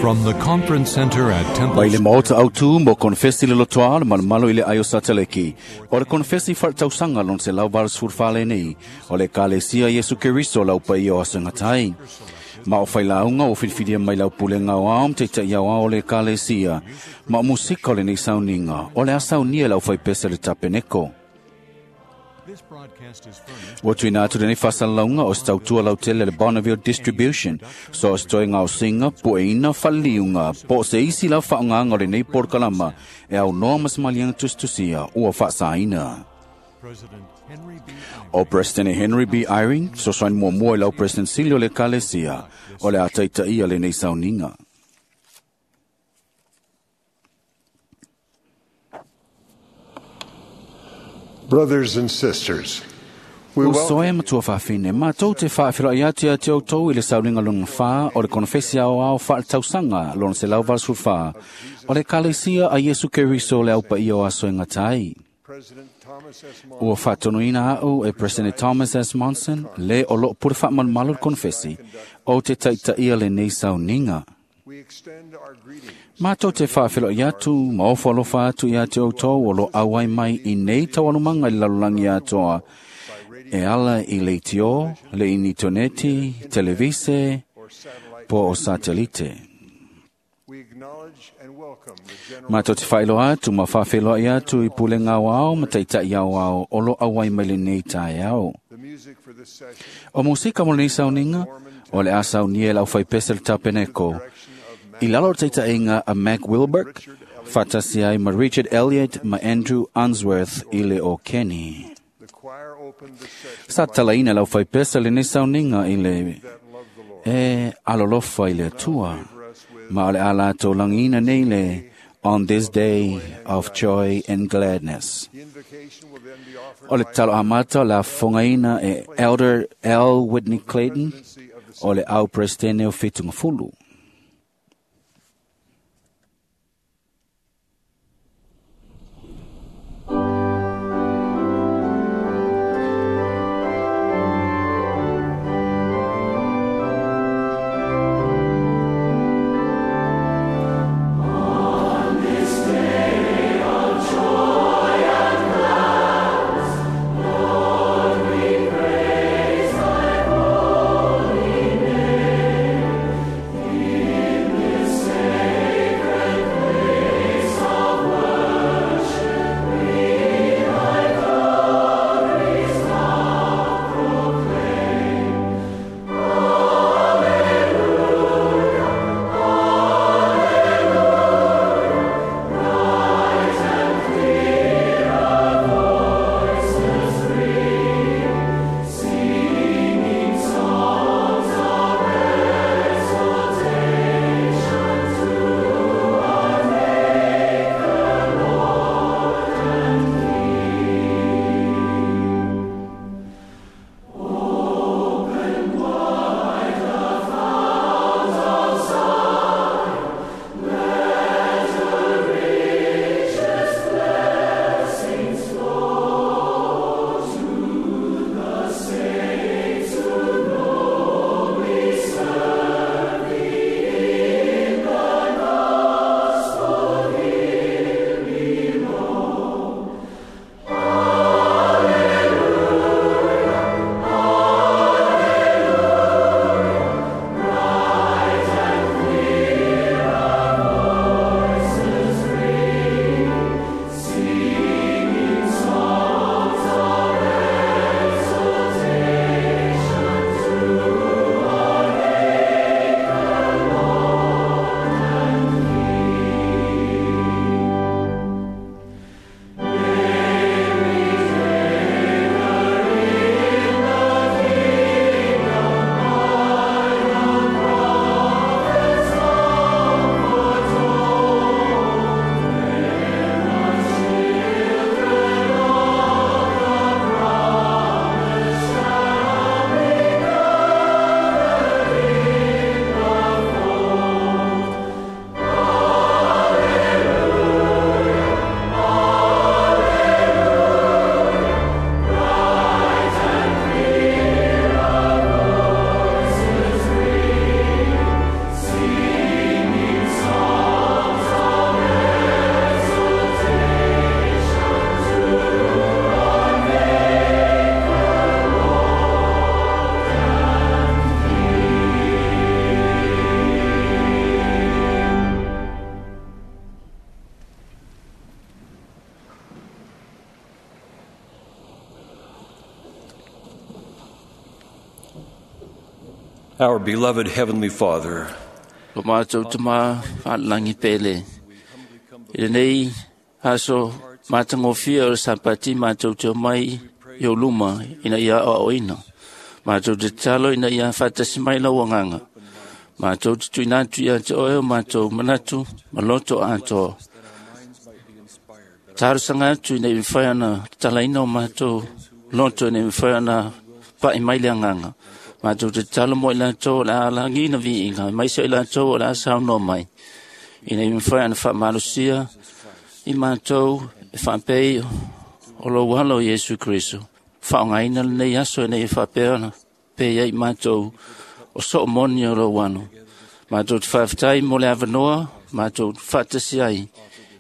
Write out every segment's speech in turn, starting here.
From the Conference Center at Temple Mai le maota autu mo konfesi le lotoa le malomalo i le aio sateleki. O le konfesi whaletausaga lona 184 lenei. O le Ekalesia Iesu Keriso lau paia o aso e gata ai. Ma o failauga ua filifilia mai lau pulega aoao ma taitai aoao o le Ekalesia. Ma o musika o lenei sauniga, o le a saunia e le aufaipese a le Tapeneko. Ua tuuina atu lenei faasalalauga o se tautua lautele a le Bonneville Distribution, so o se toe gaosiga, pueina, faleliuga, po o se isi lava faaaogaga o lenei polokalama e aunoa ma se maliega tusitusia ua faasaina. O President Henry B. Eyring, fesoasoani muamua i lau President Sili o le Ekalesia, o le a taitaia lenei sauniga. Brothers and sisters, we Uso e welcome matua faafine, matou te faafeiloai atu ia te outou i le sauniga lona fa o le konofesi aoao faaletausaga lona 184 o le Ekalesia a Iesu Keriso le au paia o aso e gata ai. President Thomas S. Ua Monson faatonuina au e President Thomas S. Monson le o loo pule faamalumalu le konofesi o te taitaia lenei sauniga. We extend our greetings Matou te faafeiloai atu ma ofo alofa atu ia te outou o lo auai mai i nei taualumaga i le lalolagi atoa e ala i le itio, le initoneti, televise, or satellite. po o satelite. We acknowledge and welcome the general Matou te faailoa atu ma faafeiloai atu i pulega aoao ma taitai aoao o lo auai mai lenei taeao. The music for this session O musika mo lenei sauniga, o le a saunia e le aufaipese le Tapeneko. direction of I lalo o le taitaiga a Mac Wilberg, faatasi ai ma Richard Elliott ma Andrew Unsworth i le o Kenny. the choir opened the session Sa talaina le aufaipese lenei sauniga i le that love the Lord. e alolofa i le Atua. For us with Ma o le a latou lagiina nei le On This Day of Joy and Gladness. the invocation will then be offered O le by tatalo amata o le afofogaina e Elder L. Whitney Clayton presidency of the o le au presidente o Fitungafulu. Lord, we praise thy holy name. Our beloved Heavenly Father, Lo mātou tama whalangi pele. I lenei aso mātangofia o le Sapati mātou te o mai i o luma ina ia o ina. Mātou te talo ina ia whatasi mai lau anganga. Mātou te tuinatu ia te oe o mātou manatu ma loto atoa. Tarosanga atu ina i mwhai ana talaina o mātou loto ina i mwhai ana pai mai le anganga. Mātou te talo mo i lātou o le alangi na viinga, mai se i lātou o le asau no mai. Ina i mwhai ana whaamalusia i mātou e whaapei o lo walo Iesu Kristo. Whaongaina le nei aso e nei e whaapea ana pe ia i mātou o so moni o lo wano. Mātou te whaaftai mo le awanoa, mātou te whaatasi ai.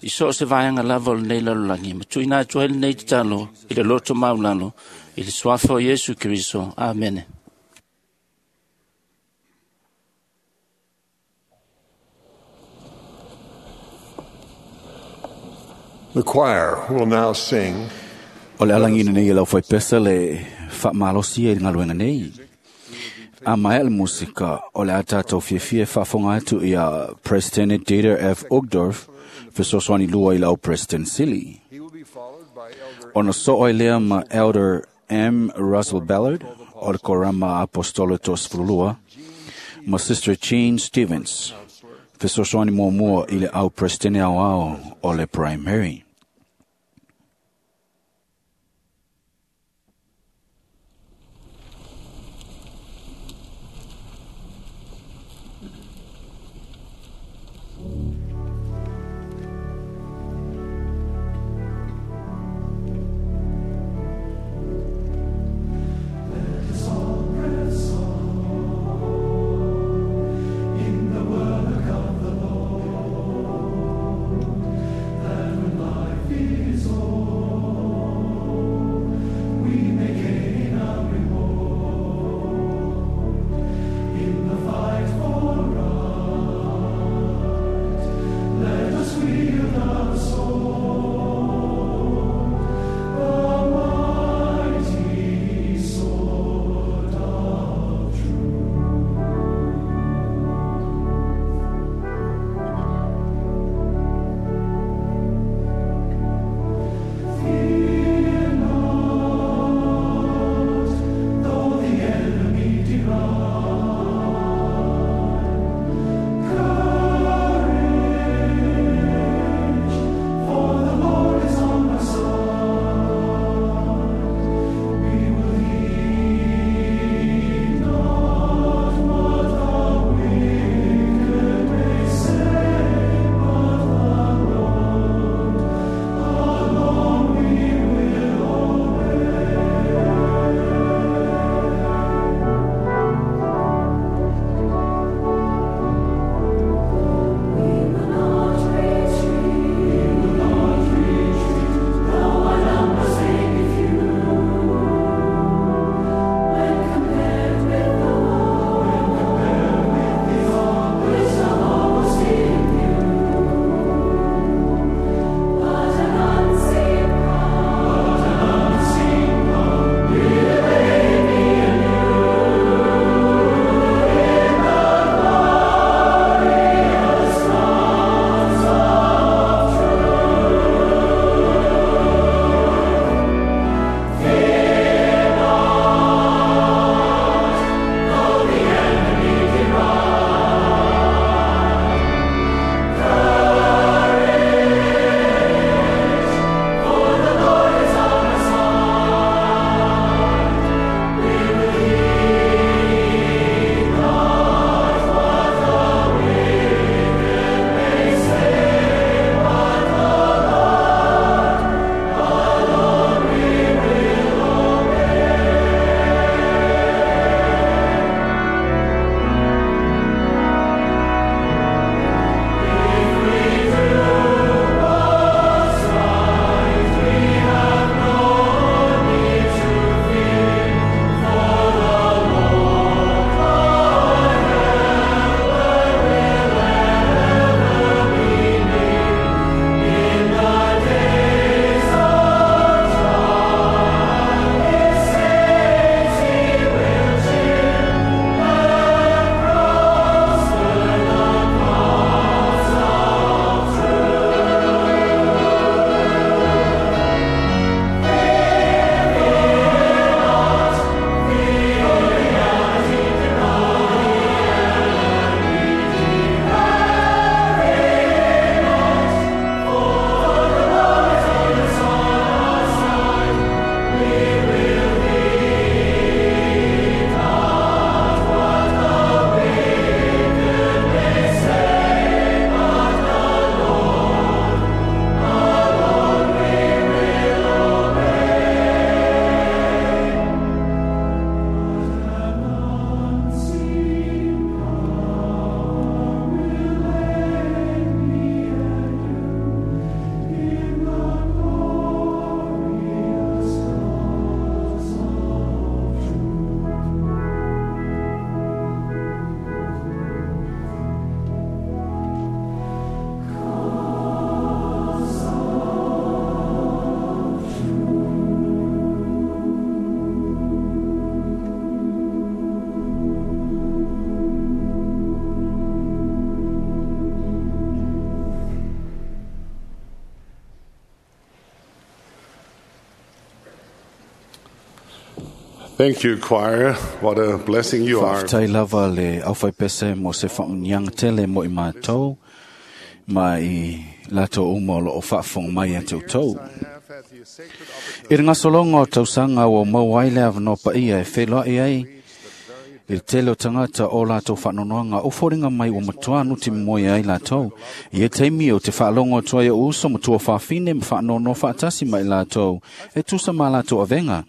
I so se vaanga lava o le nei lalolagi. Ma tuina atu ai le nei tatalo i le loto maulalo i le suafa o Iesu Kristo. Amene. The choir will now sing O le alangina nei e lau whai pesa le whaamalosia i ngaluenga nei. A mai le musika o le atatou fiafia e faafofoga atu ia President Dieter F. Uchtdorf fesoasoani lua i lau President Sili. He will be followed by Elder Ona soo ai lea ma Elder M. Russell Ballard o le Korama Apostolo Tosefululua ma Sister Jean Stevens fesoasoani muamua i le au President ao ao o le Primary. In the work of the Lord, that when life Thank you, choir. What a blessing you are. Faafetai lava le aufaipese mo se faamuniaga tele mo i matou ma i latou uma o loo faafofoga mai ia te outou. I le gasologa o tausaga ua maua ai le avanoa paia e feiloai ai i le tele o tagata o latou faanoanoaga o foliga mai ua matuā nuti moe ai latou. I ia taimi o te faalogo atu ai o uso ma tuafafine ma faanoanoa faatasi ma i latou e tusa ma latou avega.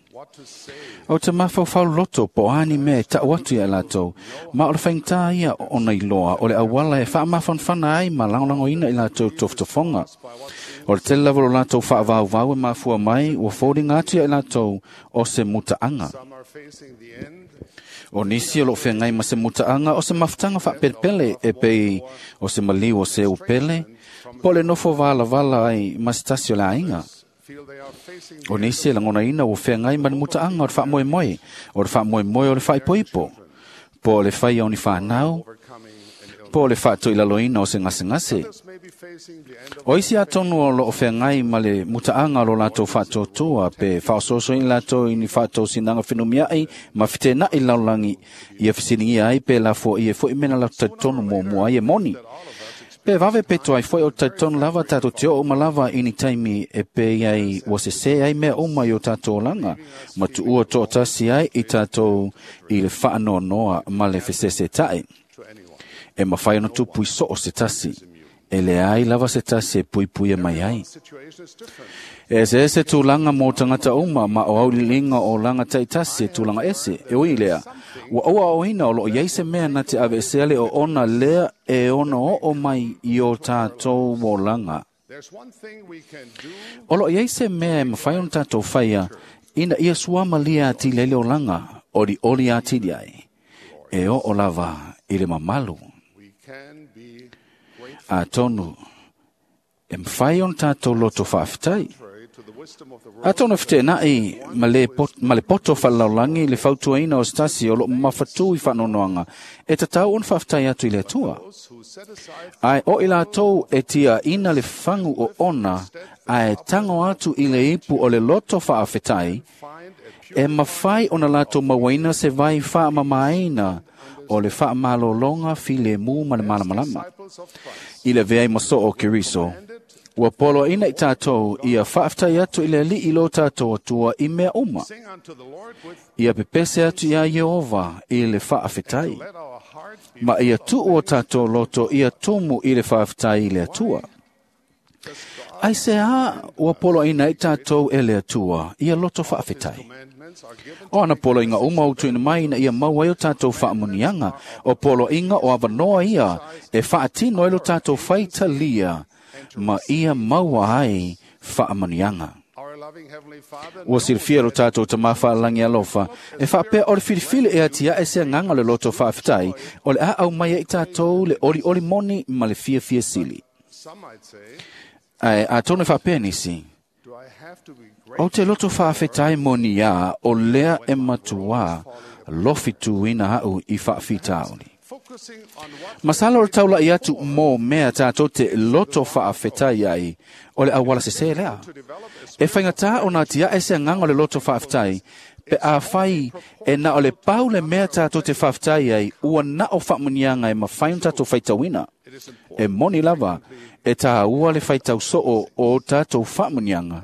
O te mafaufau loto po o a ni mea e taʻu atu ia i latou, ma o le faigata ia ona iloa o le auala e faamafanafana ai ma lagolagoina i latou tofotofoga. O le tele lava o lo latou faavauvau e mafua mai ua foliga atu ia i latou o se mutaaga. O nisi o loo feagai ma se mutaaga o se mafutaga faapelepele e pei o se maliu o se upele, po o le nofo valavala ai ma se tasi o le aiga. O nisi e lagonaina ua feagai ma le mutaaga o le faamoemoe, o le faamoemoe o le faaipoipo, po o le faia o ni fanau, po o le faatoilaloina o se gasegase. O isi atonu o loo feagai ma le mutaaga o lo latou faatuatua pe faaosoosoina latou i ni faatosinaga fenumiai ma fetenaʻi lalolagi ia fesiligia ai pe lafoai ai foi mea na latou talitonu muamua ai e moni. Pe vave pe tuai foi o talitonu lava tatou te oo uma lava i ni taimi e pei ai ua sesē ai mea uma i o tatou olaga ma tuua toatasi ai i tatou i le faanoanoa ma le fesesetaʻi. E mafai ona tupu i soo se tasi. E leai lava se tasi e puipuia mai ai. E eseese tulaga mo tagata uma ma o auiliiliga o olaga taitasi e tulaga ese. E ui lea, ua auaoina o loo iai se mea na te aveesea le oona lea e ono oo mai i o tatou olaga. O loo iai se mea e mafai ona tatou faia ina ia suamalia atili ai le olaga, olioli atili ai. E oo lava i le mamalu. Atonu e mafai ona tatou loto faafetai. Atonu e feteenai ma le poto faalalaulagi le fautuaina o se tasi o loo mafatū i faanoanoaga e tatau ona faafetai atu i le Atua. Ae o i latou e tiaina le fagu oona ae tago atu i le ipu o le loto faafetai, e mafai ona latou mauaina se vai faamamaina o le faamalologa filemu ma le malamalama. I le avea ai ma soo o Keriso, ua poloaina i tatou ia faafetai atu i le Alii lo tatou Atua i mea uma. Ia pepese atu iā Ieova i le faafetai, ma ia tuu o tatou loto ia tumu i le faafetai i le Atua. Ai se a ua poloaina ai tatou e le Atua ia loto faafetai. O ana poloaiga uma ua tuuina mai ina ia maua ai o tatou faamuniaga, o poloaiga o avanoa ia e faatino ai lo tatou faitalia ma ia maua ai faamuniaga. Ua silafia lo tatou Tamā faalagi alofa, e faapea o le filifili e atiae se agaga o le loto faafetai, o le a aumai ai tatou le olioli moni ma le fiafia sili. Ae atonu e faapea nisi, ou te loto faafetai moni iā o lea e matuā lofituina aʻu i faafitauli. Masalo o le taulaʻi atu mo mea tatou te loto faafetai ai o le auala sesē lea. E faigata ona atiae se agaga o le loto faafetai pe afai e na o le pau le mea tatou te faafetai ai ua na o faamuniaga e mafai ona tatou faitauina. E moni lava e tāua le faitau soo o tatou faamuniaga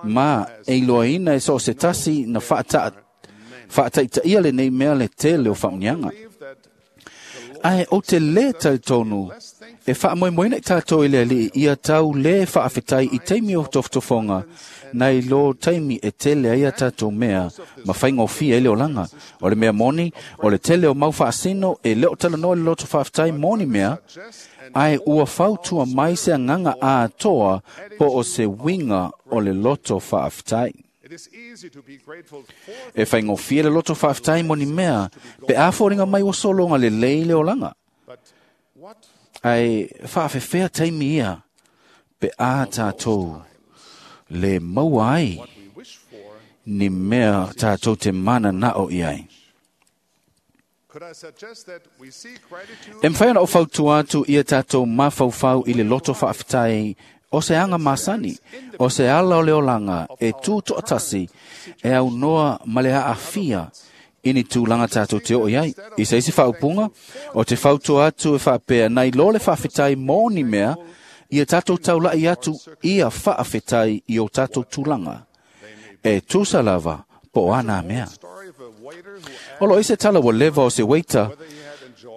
ma e iloaina e soo se tasi na faataitaia lenei mea le tele o faamuniaga. Ae ou te lē talitonu e faamoemoeina i tatou i le Alii ia tau lē faafetai i taimi o tofotofoga nai lo taimi e tele ai a tatou mea ma faigofie ai le olaga. O le mea moni, o le tele o mau faasino e le o talanoa i le loto faafetai mo ni mea, ae ua fautua mai se agaga atoa po o se uiga o le loto faafetai. E faigofie le loto faafetai mo ni mea pe a foliga mai ua sologa lelei le olaga. Ae faafefea taimi ia pe a tatou le maua ai ni mea tatou te mananao i ai. E mafai ona ou fautua atu ia tatou mafaufau i le loto faafetai O se aga masani, o se ala o le olaga e tu toʻatasi e aunoa ma le aafia i ni tulaga tatou te oo i ai. I se isi faaupuga, o te fautua atu e faapea nai lo le faafetai mo ni mea, ia tatou taulaʻi atu ia faafetai i o tatou tulaga. E tusa lava po o a nā mea. O lo o i se tala ua leva o se waiter,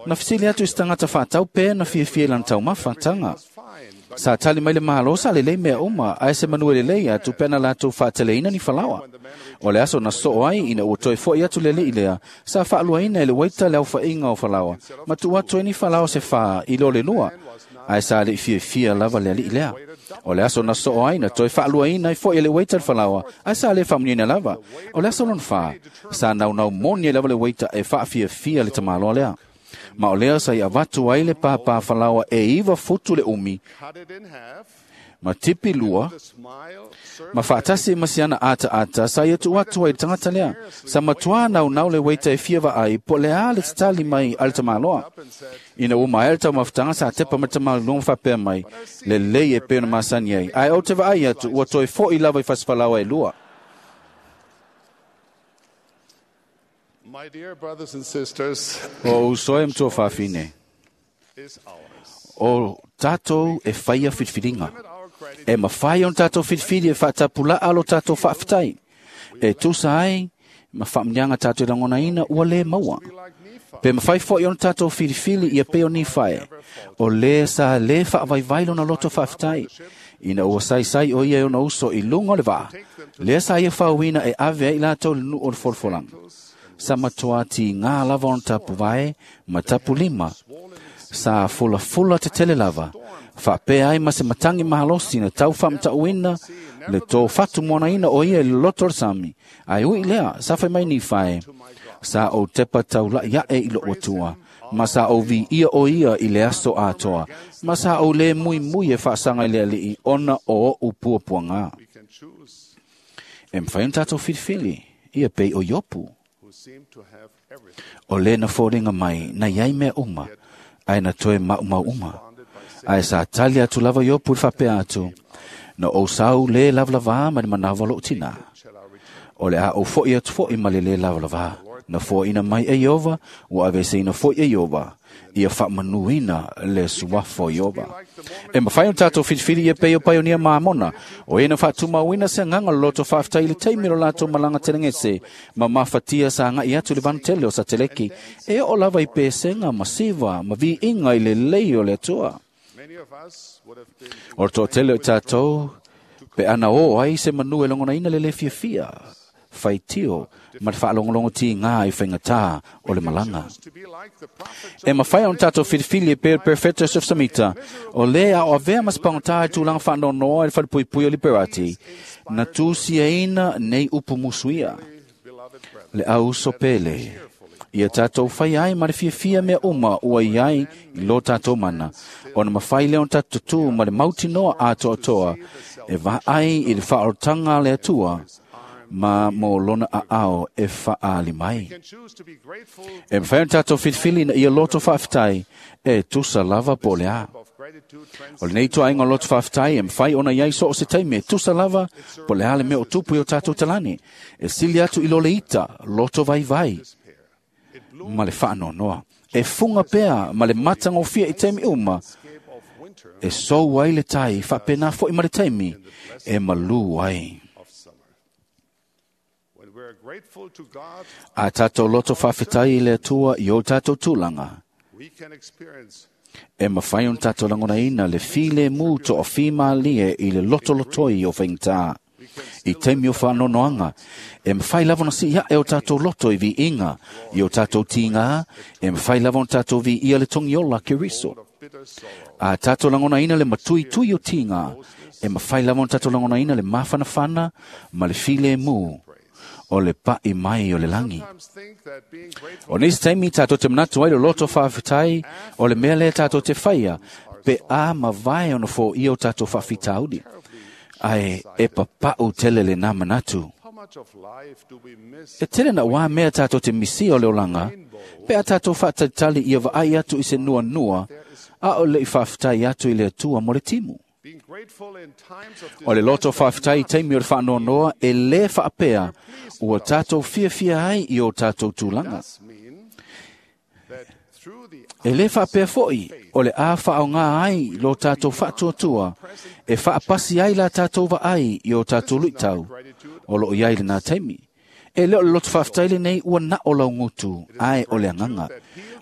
na fesili atu i se tagata faatau pe na fiafia i lana taumafataga. Sa tali mai le malo sa lelei mea uma, ae se manu e lelei atu pe ana latou faateleina ni falaoa. O le aso na soo ai ina ua toe foʻi atu le aliʻi lea, sa faaluaina e le waiter le aofaiga o falaoa, ma tuu atu ai ni falaoa se 4 i lo le 2, ae sa leʻi fiafia lava le aliʻi lea. O le aso na soo ai na toe faaluaina ai foʻi e le waiter le falaoa, ae sa le faamuniaina lava. O le aso lona 4, sa naunau moni ai lava le waiter e faafiafia le tamāloa lea. Ma o lea sa i avatu ai le pāpā falaoa e 9 futu le umi, ma tipi 2, ma faatasi ma siana ataata sa ia tuu atu ai le tagata lea. Sa matuā naunau le waiter e fia vaai po o le a le tatali mai a le tamāloa. Ina ua maea le taumafataga sa tepa mai le tamaluluga ma faapea mai, lelei e pei ona masani ai, ae ou te vaai atu ua toe foʻi lava i fasifalaoa e 2. My dear brothers and sisters, O uso e matua faafine, is ours. o tatou e faia filifiliga. E mafai ona tatou filifili e faatapulaa lo tatou faafetai. E tusa ai ma faamuniaga tatou e lagonaina ua lē maua. Pe mafai foʻi ona tatou filifili ia pei o Nifae, o lē sa lē faavaivai lona loto faafetai. Ina ua saisai o ia e ona uso i luga o le vaa, lea sa ia fauina e ave ai i latou le nuu o le folafolaga. Sa matuā tigā lava ona tapuvae ma tapulima, sa fulafula tetele lava, faapea ai ma se matagi malosi na tau faamataʻuina le tō fatumoanaina o ia i le loto o le sami. Ae ui lea, sa fai mai Nifae, sa ou tepa taulaʻi aʻe i loʻu atua, ma sa ou viia o ia i le aso atoa, ma sa ou lē muimui e faasaga i le aliʻi ona o oʻu puapuagā. We can choose E mafai ona tatou filifili, ia pei o Iopu, who seem to have everything. o lē na foliga mai na iai mea uma, ae na toe maumau uma. Ae sa tali atu lava Iopu i le faapea atu, na ou sau lē lavalavā ma le manawa o loʻu tinā. Shall I return? O le a ou foʻi atu foʻi ma le lē lavalavā. Na foaina mai e Iova, ua aveseina foʻi e Iova, ia faamanuina le suafa o Iova. E mafai ona tatou filifili ia pei o paionia mamona, o e na faatumauina se agaga o le loto faafetai i le taimi o lo latou malaga telegese, ma mafatia sa agaʻi atu i le vanutele o Sateleki, e oo lava i pesega ma siva ma viiga i lelei o le Atua. Many of us would have been O le toatele o i tatou, pe ana o ai se manu e logonaina le lē fiafia, faitio ma le faalogologo tigā i faigatā o le malaga. to be like the prophet E mafai ona tatou filifili e pei o le Perfecto Joseph Samita, o lē a o avea ma se pagotā i tulaga faanoanoa i le falepuipui o Liberati, na tusiaina nei upu musuia, beloved brethren. le auso pele. Ia tatou fai ai ma le fiafia mea uma ua i ai i lo tatou mana, ona mafai lea ona tatou tutū ma le mautinoa atoatoa e vaai i le faaolotaga a le Atua ma mo lona aao e faaali mai. Can choose to be grateful E mafai ona tatou filifili na ia loto faafetai e tusa lava po o le a. of gratitude O lenei tuaiga o loto faafetai e mafai ona iai so o se taimi e tusa lava po o le a le mea o tupu i o tatou talani. E sili atu i lo le ita, loto vaivai ma le faanoanoa. E fuga pea ma le matagofie i taimi uma, transcape of winter e sou ai le tai, faapena foʻi ma le taimi, e malū ai. of summer. When we are grateful to God, A tatou loto faafetai i le Atua i o tatou tulaga, we can experience e mafai ona tatou lagonaina le filemu toafimalie i le lotolotoi o faigata. I taimi o faanoanoaga, e mafai lava ona sii aʻe o tatou loto i viiga, i o tatou tigā, e mafai lava ona tatou viia le togiola Keriso. of bitter sorrow. A tatou lagonaina le matuitui o tigā, e mafai lava ona tatou lagonaina le mafanafana ma le filemu o le paʻi mai o le lagi. Sometimes think that being grateful O nisi taimi tatou te manatu ai le loto faafetai o le mea lea tatou te faia, pe a mavae ona foia o tatou faafitauli. Ae e papaʻu tele lenā manatu. How much of life do we miss E tele na wā mea tatou te misia o le olaga, pe a tatou faatalitali ia vaai atu i se nuanua, a o le i faafetai atu i le Atua mo le timu. O le loto faafetai i taimi o le faanoanoa e lē faapea ua tatou fiafia ai i o tatou tulaga. E lē faapea foʻi o le a faaaogā ai lo tatou faatuatua e faapasi ai la tatou vaai i o tatou luitau o loo i ai lenā taimi. E lē o le loto faafetai lenei ua na o laugutu, ae o le agaga.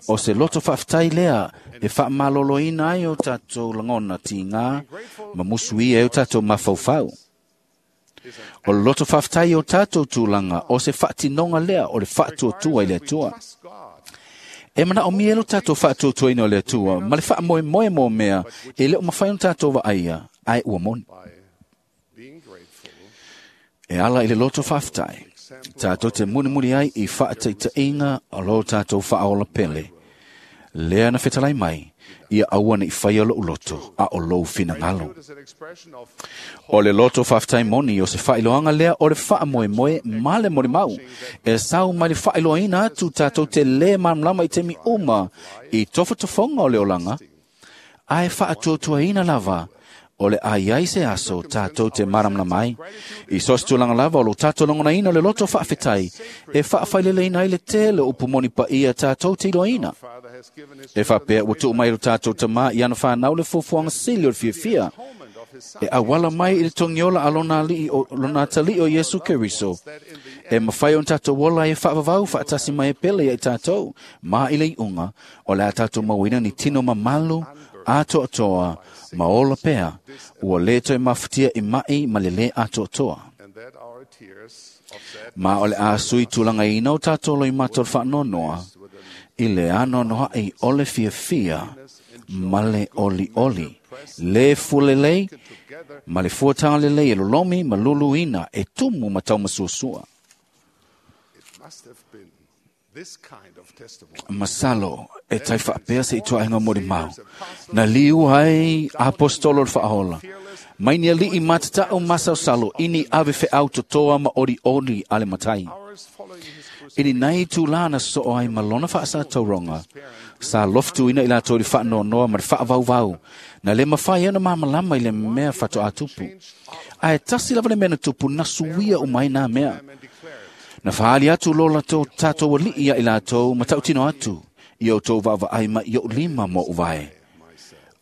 O se loto faafetai lea e faamaloloina ai o tatou lagona tigā ma musuia ai o tatou mafaufau. O le loto faafetai i o tatou tulaga o se faatinoga lea o le faatuatua i le Atua. E manaomia lo tatou faatuatuaina o le Atua ma le faamoemoe mo mea e le o mafai ona tatou vaaia, ae ua moni. E ala i le loto faafetai, tatou te mulimuli ai i faataitaiga o lo tatou faaola pele. Lea na fetalai mai, ia aua nei faia lou loto, a o lou finagalo. O le loto faafetai moni o se faailoaga lea o le faamoemoe ma le molimau. E sau mai le faailoaina atu tatou te lē malamalama i taimi uma i tofotofoga o le olaga, ae faatuatuaina lava o le a iai se aso tatou te malamalama ai. I so se tulaga lava o lo tatou lagonaina o le loto faafetai e faafaileleina ai le tele o upu moni paia tatou te iloaina. E faapea ua tuu mai lo tatou tamā i ana whanau le fuafuaga sili o le fiafia. E auala mai i le togiola a lona atalii o Iesu Keriso. E mafai ona tatou ola ai e faavavau faatasi mai e pele ia i tatou. Ma i le iuga, o le a tatou mauaina ni tino mamalu, atoatoa, ma ola pea, ua lē toe mafatia i mai ma le lē atoatoa. Ma o le a sui tulagaina o tatou loimata o le faanoanoa, i le anoanoaʻi o le fiafia ma le olioli, lē fualelei ma le fuataga lelei e lolomi ma luluina e tumu ma taumasuasua. Masalo e tai faapea se ituaiga molimau. Na liu ai apostolo o le faaola. Mai ni alii matatau masaosalo i ni ave feau totoa ma olioli a le matai. I ni nai tūlā na soo ai ma lona faasatauroga, sa loftuina i latou i le faanoanoa ma le faavauvau, na le mafai ai ona malamalama i le mea faatoa tupu. Ae tasi lava le mea na tupu na suia uma ai nā mea. Na faali atu lo latou tatou alii ia i latou ma tautino atu, i outou vaavaai mai i ou lima ma ou vae.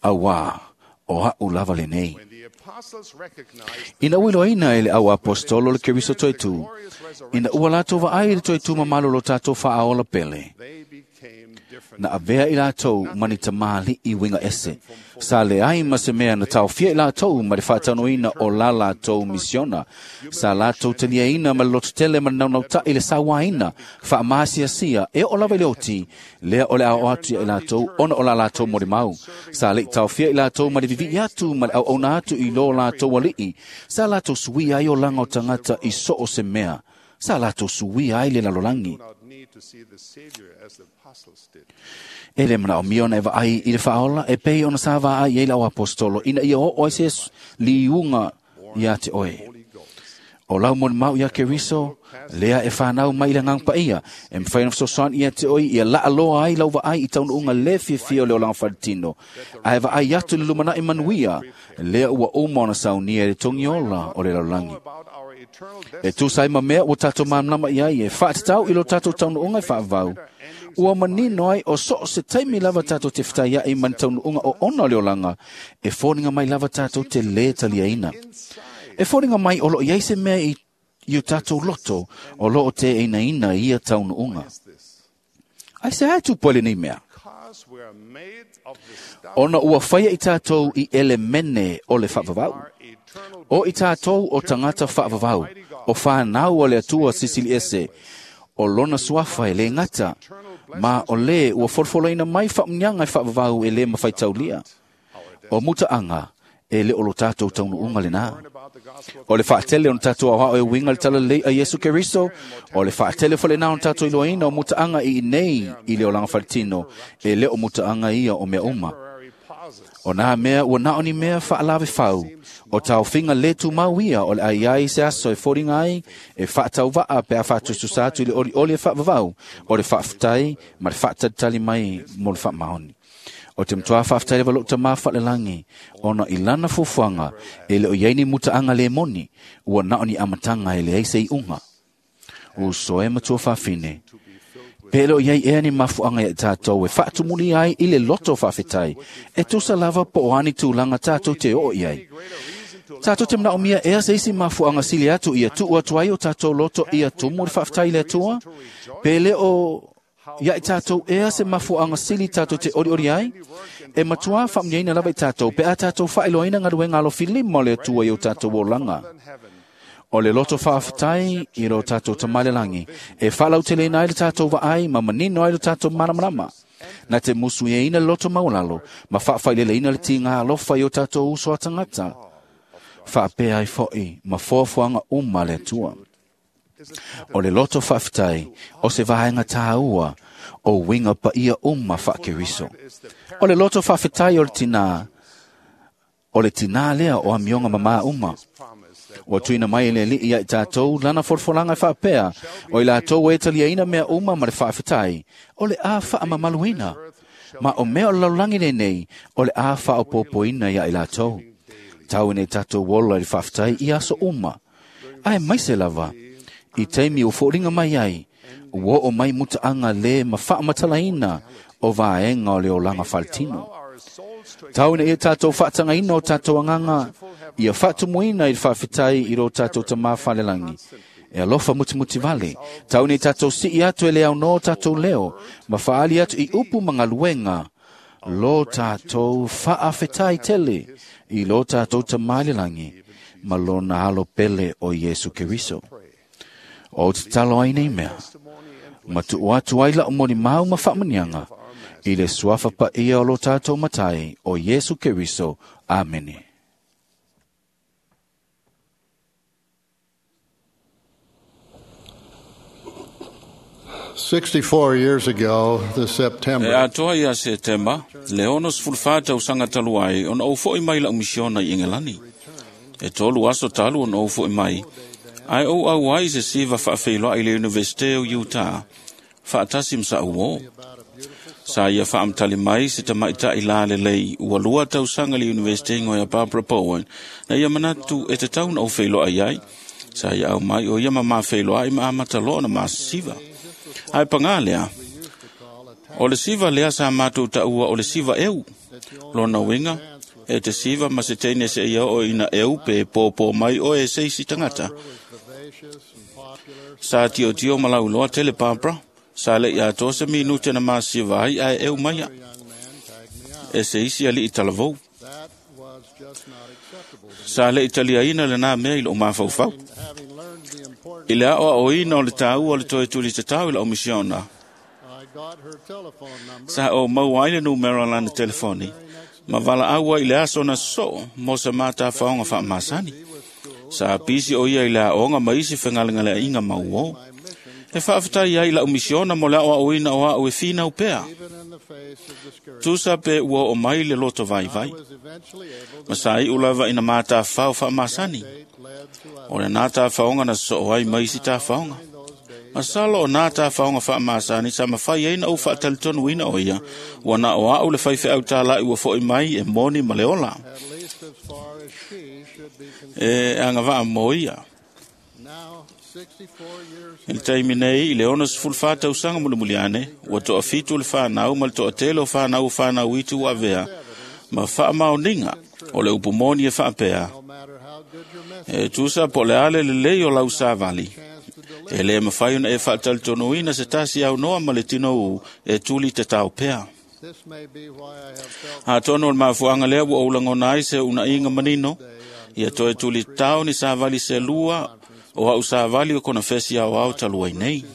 Auā, o a'u lava lenei. Ina ua iloaina e le au apostolo le Keriso toetū, ina ua latou vaai i le toetū mamalo lo tatou faaola pele, na avea i latou ma ni tamalii uiga ese. Sa leai ma se mea na taofia i latou ma le faataunuina o la latou misiona. Sa latou taliaina ma le lototele ma le naunautai le sauaina, faamaasiasia e oo lava i le oti, lea o le ao atu ia i latou ona o la latou molimau. Sa leʻi taofia i latou ma le vivii atu ma le auauna atu i lo latou alii. Sa latou suia ai olaga o tagata i so o se mea. Sa latou suia ai le lalolagi. E le manaomia ona e vaai i le faaola e pei ona sa vaai ai le au apostolo ina ia oo ai se liuga ia te oe. O lau molimau ia Keriso, lea e whanau mai i le agaga paia, e mafai ona fesoasoani ia te oe ia laaloa ai lau vaai i taunuuga lē fiafia o le olaga faletino. Ae vaai atu i le lumanai manuia, lea ua uma ona saunia i le togiola o le lalolagi. E tusa ai ma mea ua tatou malamalama i ai e faatatau i lo tatou taunuuga e faavavau. Ua manino ai o so o se taimi lava tatou te fetaiaʻi ma ni taunuuga oona o le olaga, e foliga mai lava tatou te lē taliaina. E foliga mai o loo i ai se mea i o tatou loto o loo teʻeinaina i ia taunuuga. Ai se ae tupu ai lenei mea? Ona ua faia i tatou i elemene o le faavavau. O i tatou o tagata faavavau, o whanau o le Atua sisili ese, o lona suafa e lē gata, ma o lē ua folofoloina mai faamuniaga e faavavau e lē mafaitaulia. O mutaaga e le o lo tatou taunuuga lenā. O le faatele ona tatou aoao e uiga i le talalelei a Iesu Keriso, o le faatele foi lenā ona tatou iloaina o mutaaga i inei i le olaga faletino, e le o mutaaga ia o mea uma. O nā mea ua na o ni mea faalavefau, o taofiga lē tumau ia o le a iai se aso e foliga ai, e faatauvaa pe a faatususa atu i le olioli e faavavau, o le faafetai ma le faatalitali mai mo le faamaoni. O te mtoa whaafetai lava lou tamā faalelagi, ona i lana fuafuaga e le o i ai ni mutaaga lē moni, ua na o ni amataga e leai se iʻuga. Uso e matua faafine, pe le o i ai ea ni mafuaga ia i tatou e faatumulia ai i le loto faafetai, e tusa lava po o ani tulaga tatou te oo i ai. Tatou te manaomia ea se isi mafuaga sili atu ia tuu atu ai o tatou loto ia tumu le faafetai i le Atua? Pe le o ia i tatou ea se mafuaga sili tatou te olioli ai? E matuā faamuniaina lava i tatou pe a tatou faailoaina galuega alofilima o le Atua i o tatou olaga. O le loto faafetai i lo tatou Tama i le lagi, e faalauteleina ai le tatou vaai ma manino ai lo tatou malamalama. Na te musuiaina le loto maualalo ma faafaileleina le tiga alofa i o tatou uso a tagata. Faapea ai foʻi ma foafoaga uma a le Atua. O le loto faafetai o se vaega tāua o uiga paia uma faa-Keriso. O le loto faafetai o le tinā, o le tinā lea o amioga mamā uma. Ua tuuina mai e le Alii ia i tatou lana folafolaga e faapea, o i latou e taliaina mea uma ma le faafetai, o le a faamamaluina. Ma o mea o le lalolagi lenei, o le a faaopoopoina ia i latou. Tau ina tatou ola i le faafetai i aso uma. Ae maise lava, i taimi ua foliga mai ai, ua oo mai mutaaga lē ma faamatalaina o vaega o le olaga faletino. Tau ina ia tatou faatagaina o tatou agaga, ia faatumuina i le faafetai i lo tatou Tamā falelagi. E alofa mutimuti vale, tau ina ia tatou sii atu e le aunoa o tatou leo, ma faali atu i upu ma galuega, lo tatou faafetai tele i lo tatou Tamā i le lagi, ma lona alo pele o Iesu Keriso. O te tatalo ai nei mea, ma tuu atu ai lau molimau ma faamanuiaga, i le suafa paia o lo tatou Matai o Iesu Keriso. Amene. 64 years ago this E September, atoa ia Setema, le 64 tausaga talu ai, ona ou foʻi mai lau misiona i Engelani. E 3 aso talu ona ou foʻi mai, ae ou auai i se siva faafeiloai i le Universite o Utah, faatasi ma saʻu uō. Sa ia faamatali mai se tamaitaʻi la lelei ua 2 tausaga i le Universite igoa ia Barbara Bowen, na ia manatu e tatau na ou feiloai ai. Sa ia au mai o ia ma mafeiloai ma amata loa ona masisiva. Ae pagā lea, o le siva lea sa matou taua o le siva eu. Lona uiga, e te siva ma se teine se ia oo ina eu pe pōpō mai oe e se isi tagata. Sa tiotio ma lauloa tele Barbara, sa leʻi atoa se minute na masiva ai ae eu maia. E se isi alii talavou. that was just not acceptable. Sa leʻi taliaina lenā mea i lou mafaufau. Having learned the importance, I le aoaoina o le tāua o le toe tuli tatau i lau misiona, I got her telephone number. sa ou maua ai le numera o lana telefoni, ma valaau ai i le aso na sosoo mo se matafaoga faamasani. Sa pisi o ia i le aoga ma isi fegalegaleaiga mauō. E faafetai ai lau misiona mo le aoaoina o au e finau pea. Even in the face of discouragement, Tusa pe ua oo mai le loto vaivai. I was eventually able to Ma sa iʻu lava ina matafao faamasani. date led to O lenā tafaoga na sosoo ai ma isi tafaoga. those days. Masalo o nā tafaoga faamasani sa mafai ai na ou faatalitonuina o ia, ua na o au le faifeau tālaʻi ua foʻi mai e moni ma le ola. At least as far as she should be concerned. E agavaa mo ia. Now, 64 years I le taimi nei, i le 64 tausaga mulimuli ane, ua toafitu le fanau ma le toatele o fanau o fanau itu ua avea, ma faamaoniga o le upu moni e faapea, no matter how good your message, e tusa po o le a le lelei o lau savali. chance to deliver E lē mafai ona e faatalitonuina se tasi aunoa ma le tinoū e tuli tatao pea. This may be why I have felt Atonu o le mafuaaga lea ua ou lagona ai se uunaiga manino, ia toe tuli tatao ni savali se lua o au savali o konefesi aoao talu ai nei.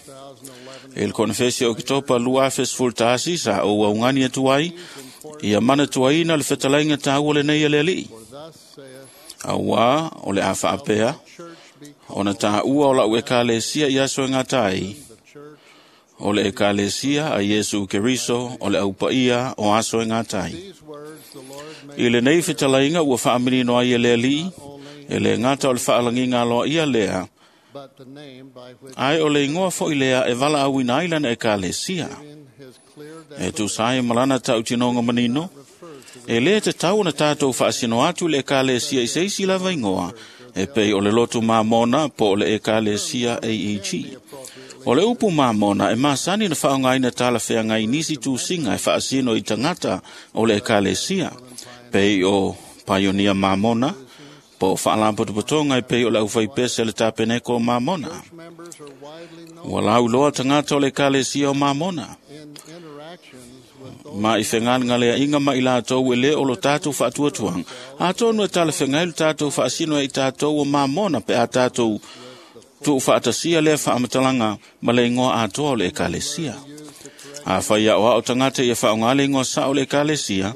2011 I le konefesi o Oketopa 2011 sa ou augani atu ai, ia manatuaina le fetalaiga taua lenei a le Alii. For thus saith Auā o le a faapea, church be ona taua o lau ekalesia i aso e gata ai, the church. o le ekalesia a Iesu Keriso o le aupaia o aso e gata ai. These words the Lord made I lenei fetalaiga ua faamanino ai e le Alii, e le gata o le faalagiga aloaia lea, but the name by which ae o le igoa foʻi lea e valaauina ai lana ekalesia. in his clear E tusa ai ma lana tautinoga manino, e lē tatau ona tatou faasino atu i le ekalesia i se isi lava igoa, e pei o le lotu Mamona po o le ekalesia AEG. O le upu Mamona e masani na faaaogaina talafeagai i nisi tusiga e faasino i tagata o le ekalesia, pei o Paionia Mamona, po o faalapotopotoga e pei o le aufaipese a le Tapeneko o Mamona. Ua lauiloa tagata o le ekalesia o Mamona, ma i fegalegaleaʻiga ma i latou e lē o lo tatou faatuatuaga. Atonu e talafeagai lo tatou faasino ai i tatou o Mamona pe a tatou tuufaatasia lea faamatalaga ma le igoa atoa o le ekalesia. Afai aoao tagata ia faaaogā le igoa saʻo o le ekalesia,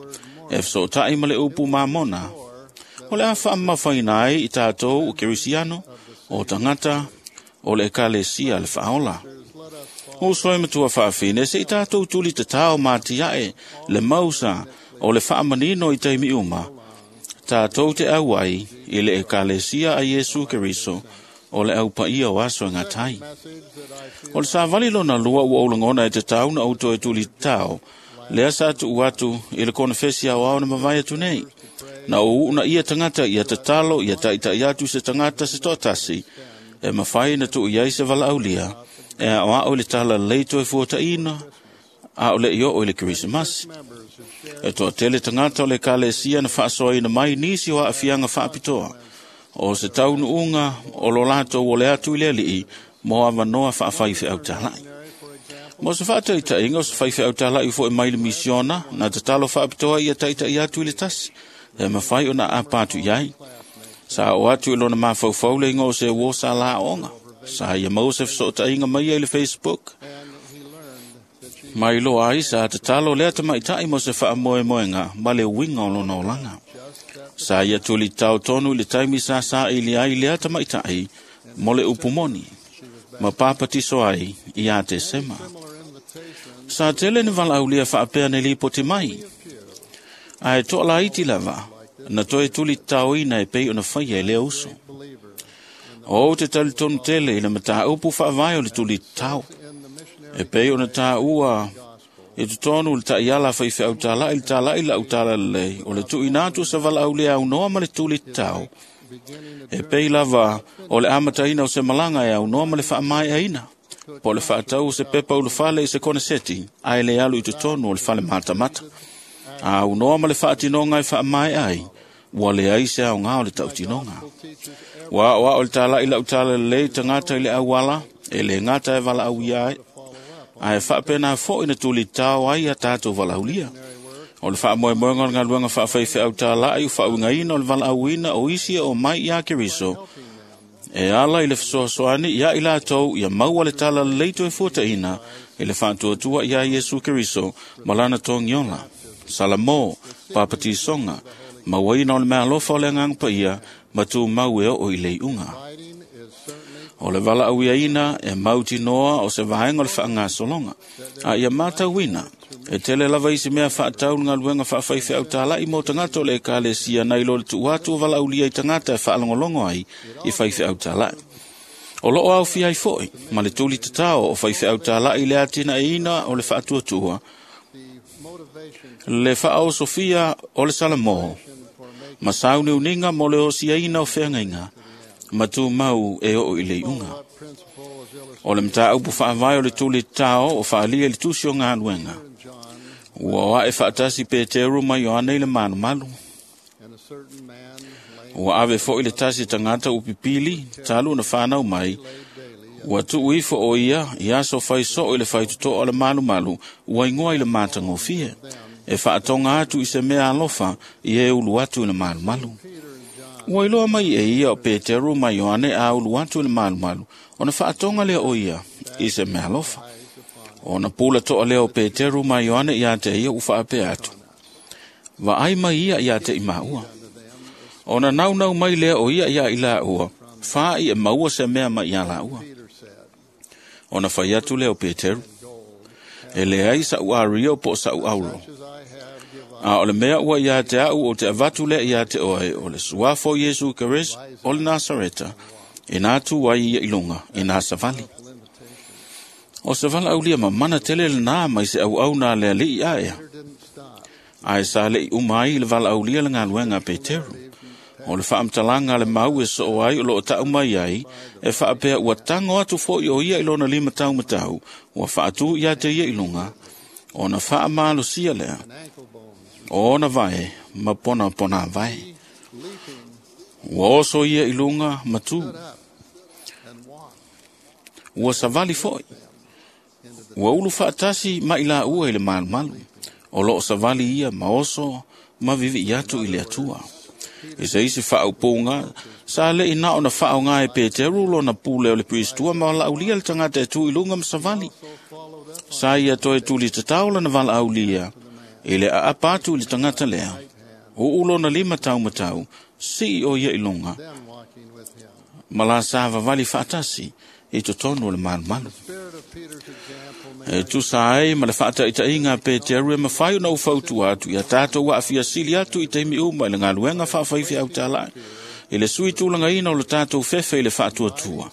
e fesootaʻi ma le upu Mamona, o le a faamamafaina ai i tatou o Kerisiano, o tagata o le ekalesia le faaola. Uso e matua faafine, se i tatou tuli tatao ma atiaʻe le mausa o le faamanino i taimi uma, tatou te auai i le ekalesia a Iesu Keriso, o le aupaia o aso e gatai. O le savali lona lua ua ou lagona e tatau na ou toe tuli tatao, lea sa tuu atu i le konefesi aoao na mavae atu nei. Na ou uunaia tagata ia tatalo ia taʻitaʻi atu se tagata se toatasi, e mafai na tuu i ai se valaaulia, e aoao i le talalelei toe fuataʻina, a o leʻi oo i le Kerisimasi. E toatele tagata o le ekalesia na faasoaina mai nisi o aafiaga faapitoa, o se taunuuga o lo latou ole atu i le alii mo avanoa faafaifeau talaʻi. Mo se faataitaiga o se faifeau talaʻi foʻi mai le misiona, na tatalo faapitoa ia taʻitaʻi atu i le tasi, e mafai ona aapa atu i ai. Sa oo atu i lona mafaufau le igoa o se uo sa la aoga. Sa ia maua se fesootaiga mai ia i le Facebook. Mai loa ai sa tatalo lea tamaitaʻi mo se faamoemoega ma le uiga o lona olaga. Sa ia tulitao tonu i le taimi sa saili ai lea tamaitaʻi mo le upu moni, ma papatiso ai iā Tesema. Sa tele ni valaaulia faapea na lipoti mai, ae toalaiti lava na toe tulitaoina e pei ona faia e lea uso. O ou te talitonu tele i le mataupu faavae o le tulitao, e pei ona tāua i totonu le taʻiala faifeau talaʻi le talaʻi laʻu talalelei, o le tuuina atu o se valaaulia aunoa ma le tulitao, e pei lava o le amataina o se malaga e aunoa ma le faamaeaina, po o le faatau o se pepa ulufale i se koneseti, ae le alu i totonu o le fale matamata. A aunoa ma le faatinoga e faamaea ai, ua leai se aogā o le tautinoga. Ua aoao le talaʻi laʻu talalelei tagata i le auala, e lē gata e valaauia ai, ae faapena foʻi na tulitao ai a tatou valaaulia. O le faamoemoega o le galuega faafaifeau talaʻi o faauigaina o le valaauina o isi e omai iā Keriso, e ala i le fesoasoani iā i latou ia maua le talalelei toe fuataʻina i le faatuatua iā Iesu Keriso ma lana togiola. Salamo, papatisoga, mauaina o le meaalofa o le agaga paia, ma tumau e oo i le iuga. O le valaauiaina e mautinoa o se vaega o le faagasologa. A ia matauina, e tele lava isi mea faatau le galuega faafaifeau talaʻi mo tagata o le ekalesia nai lo le tuu atu o valaaulia i tagata e faalogologo ai i faifeau talaʻi. O loo aofia ai foʻi ma le tuli tatao o faifeau talaʻi i le atinaeina o le faatuatua, le faaosofia o le Salamo, ma sauniuniga mo le osiaina o feagaiga, ma tumau e oo i le iuga. O le mataupu faavae o le tuli tatao o faaalia i le tusi o galuega. Ua oaʻe faatasi Peteru ma Ioane i le malumalu. Ua ave foʻi le tasi tagata ua pipili, talu ona fanau mai, ua tuu ifo o ia i aso faisoo i le faitotoa o le malumalu, ua igoa i le matagofie, e faatoga atu i se mea alofa i e ulu atu i le malumalu. Ua iloa mai e ia o Peteru ma Ioane a ulu atu i le malumalu, ona faatoga lea o ia i se mea alofa. Ona pula toa lea o Peteru ma Ioane iā te ia ua faapea atu, vaai mai ia iā te i maua. Ona naunau mai lea o ia iā i laua, faai e maua se mea mai iā laua. Ona fai atu lea o Peteru, e leai saʻu ario po o saʻu auro. A o le mea ua iā te aʻu o te avatu lea iā te oe, o le suafa o Iesu Keriso o le Nasareta, e nā tu ai ia i luga, e nā savali. O se valaaulia mamana tele lenā mai se auauna a le alii aea. Ae sa le'i uma ai le valaaulia le galuega a Peteru. O le faamatalaga a le mau e soo ai o loo ta'u mai ai, e faapea ua tago atu fo'i o ia i lona lima taumatau, ua faatū ia te ia i luga, ona faamalosia lea, o ona vae ma ponapona vae. Ua oso ia i luga ma tū. Ua savali fo'i. Ua ulu faatasi ma i laua i le malumalu. O loo savali ia ma oso ma vivi'i atu i le Atua. I se isi faaupuga, sa le'i na ona faaoga e Peteru lona pule o le Piristua ma valaaulia le tagata e tu i luga ma savali. Sa ia toe tuli tatao lana valaaulia i le aapa atu i le tagata lea. Uu lona lima taumatau, sii o ia i luga, ma la sa vavali faatasi i totonu o le malumalu. E tusa ai ma le faataitaiga a Peteru e mafai ona ou fautua atu ia tatou aafia sili atu i taimi uma i le galuega faafaifeau tala'i, i le sui tulagaina o le tatou fefe i le faatuatua.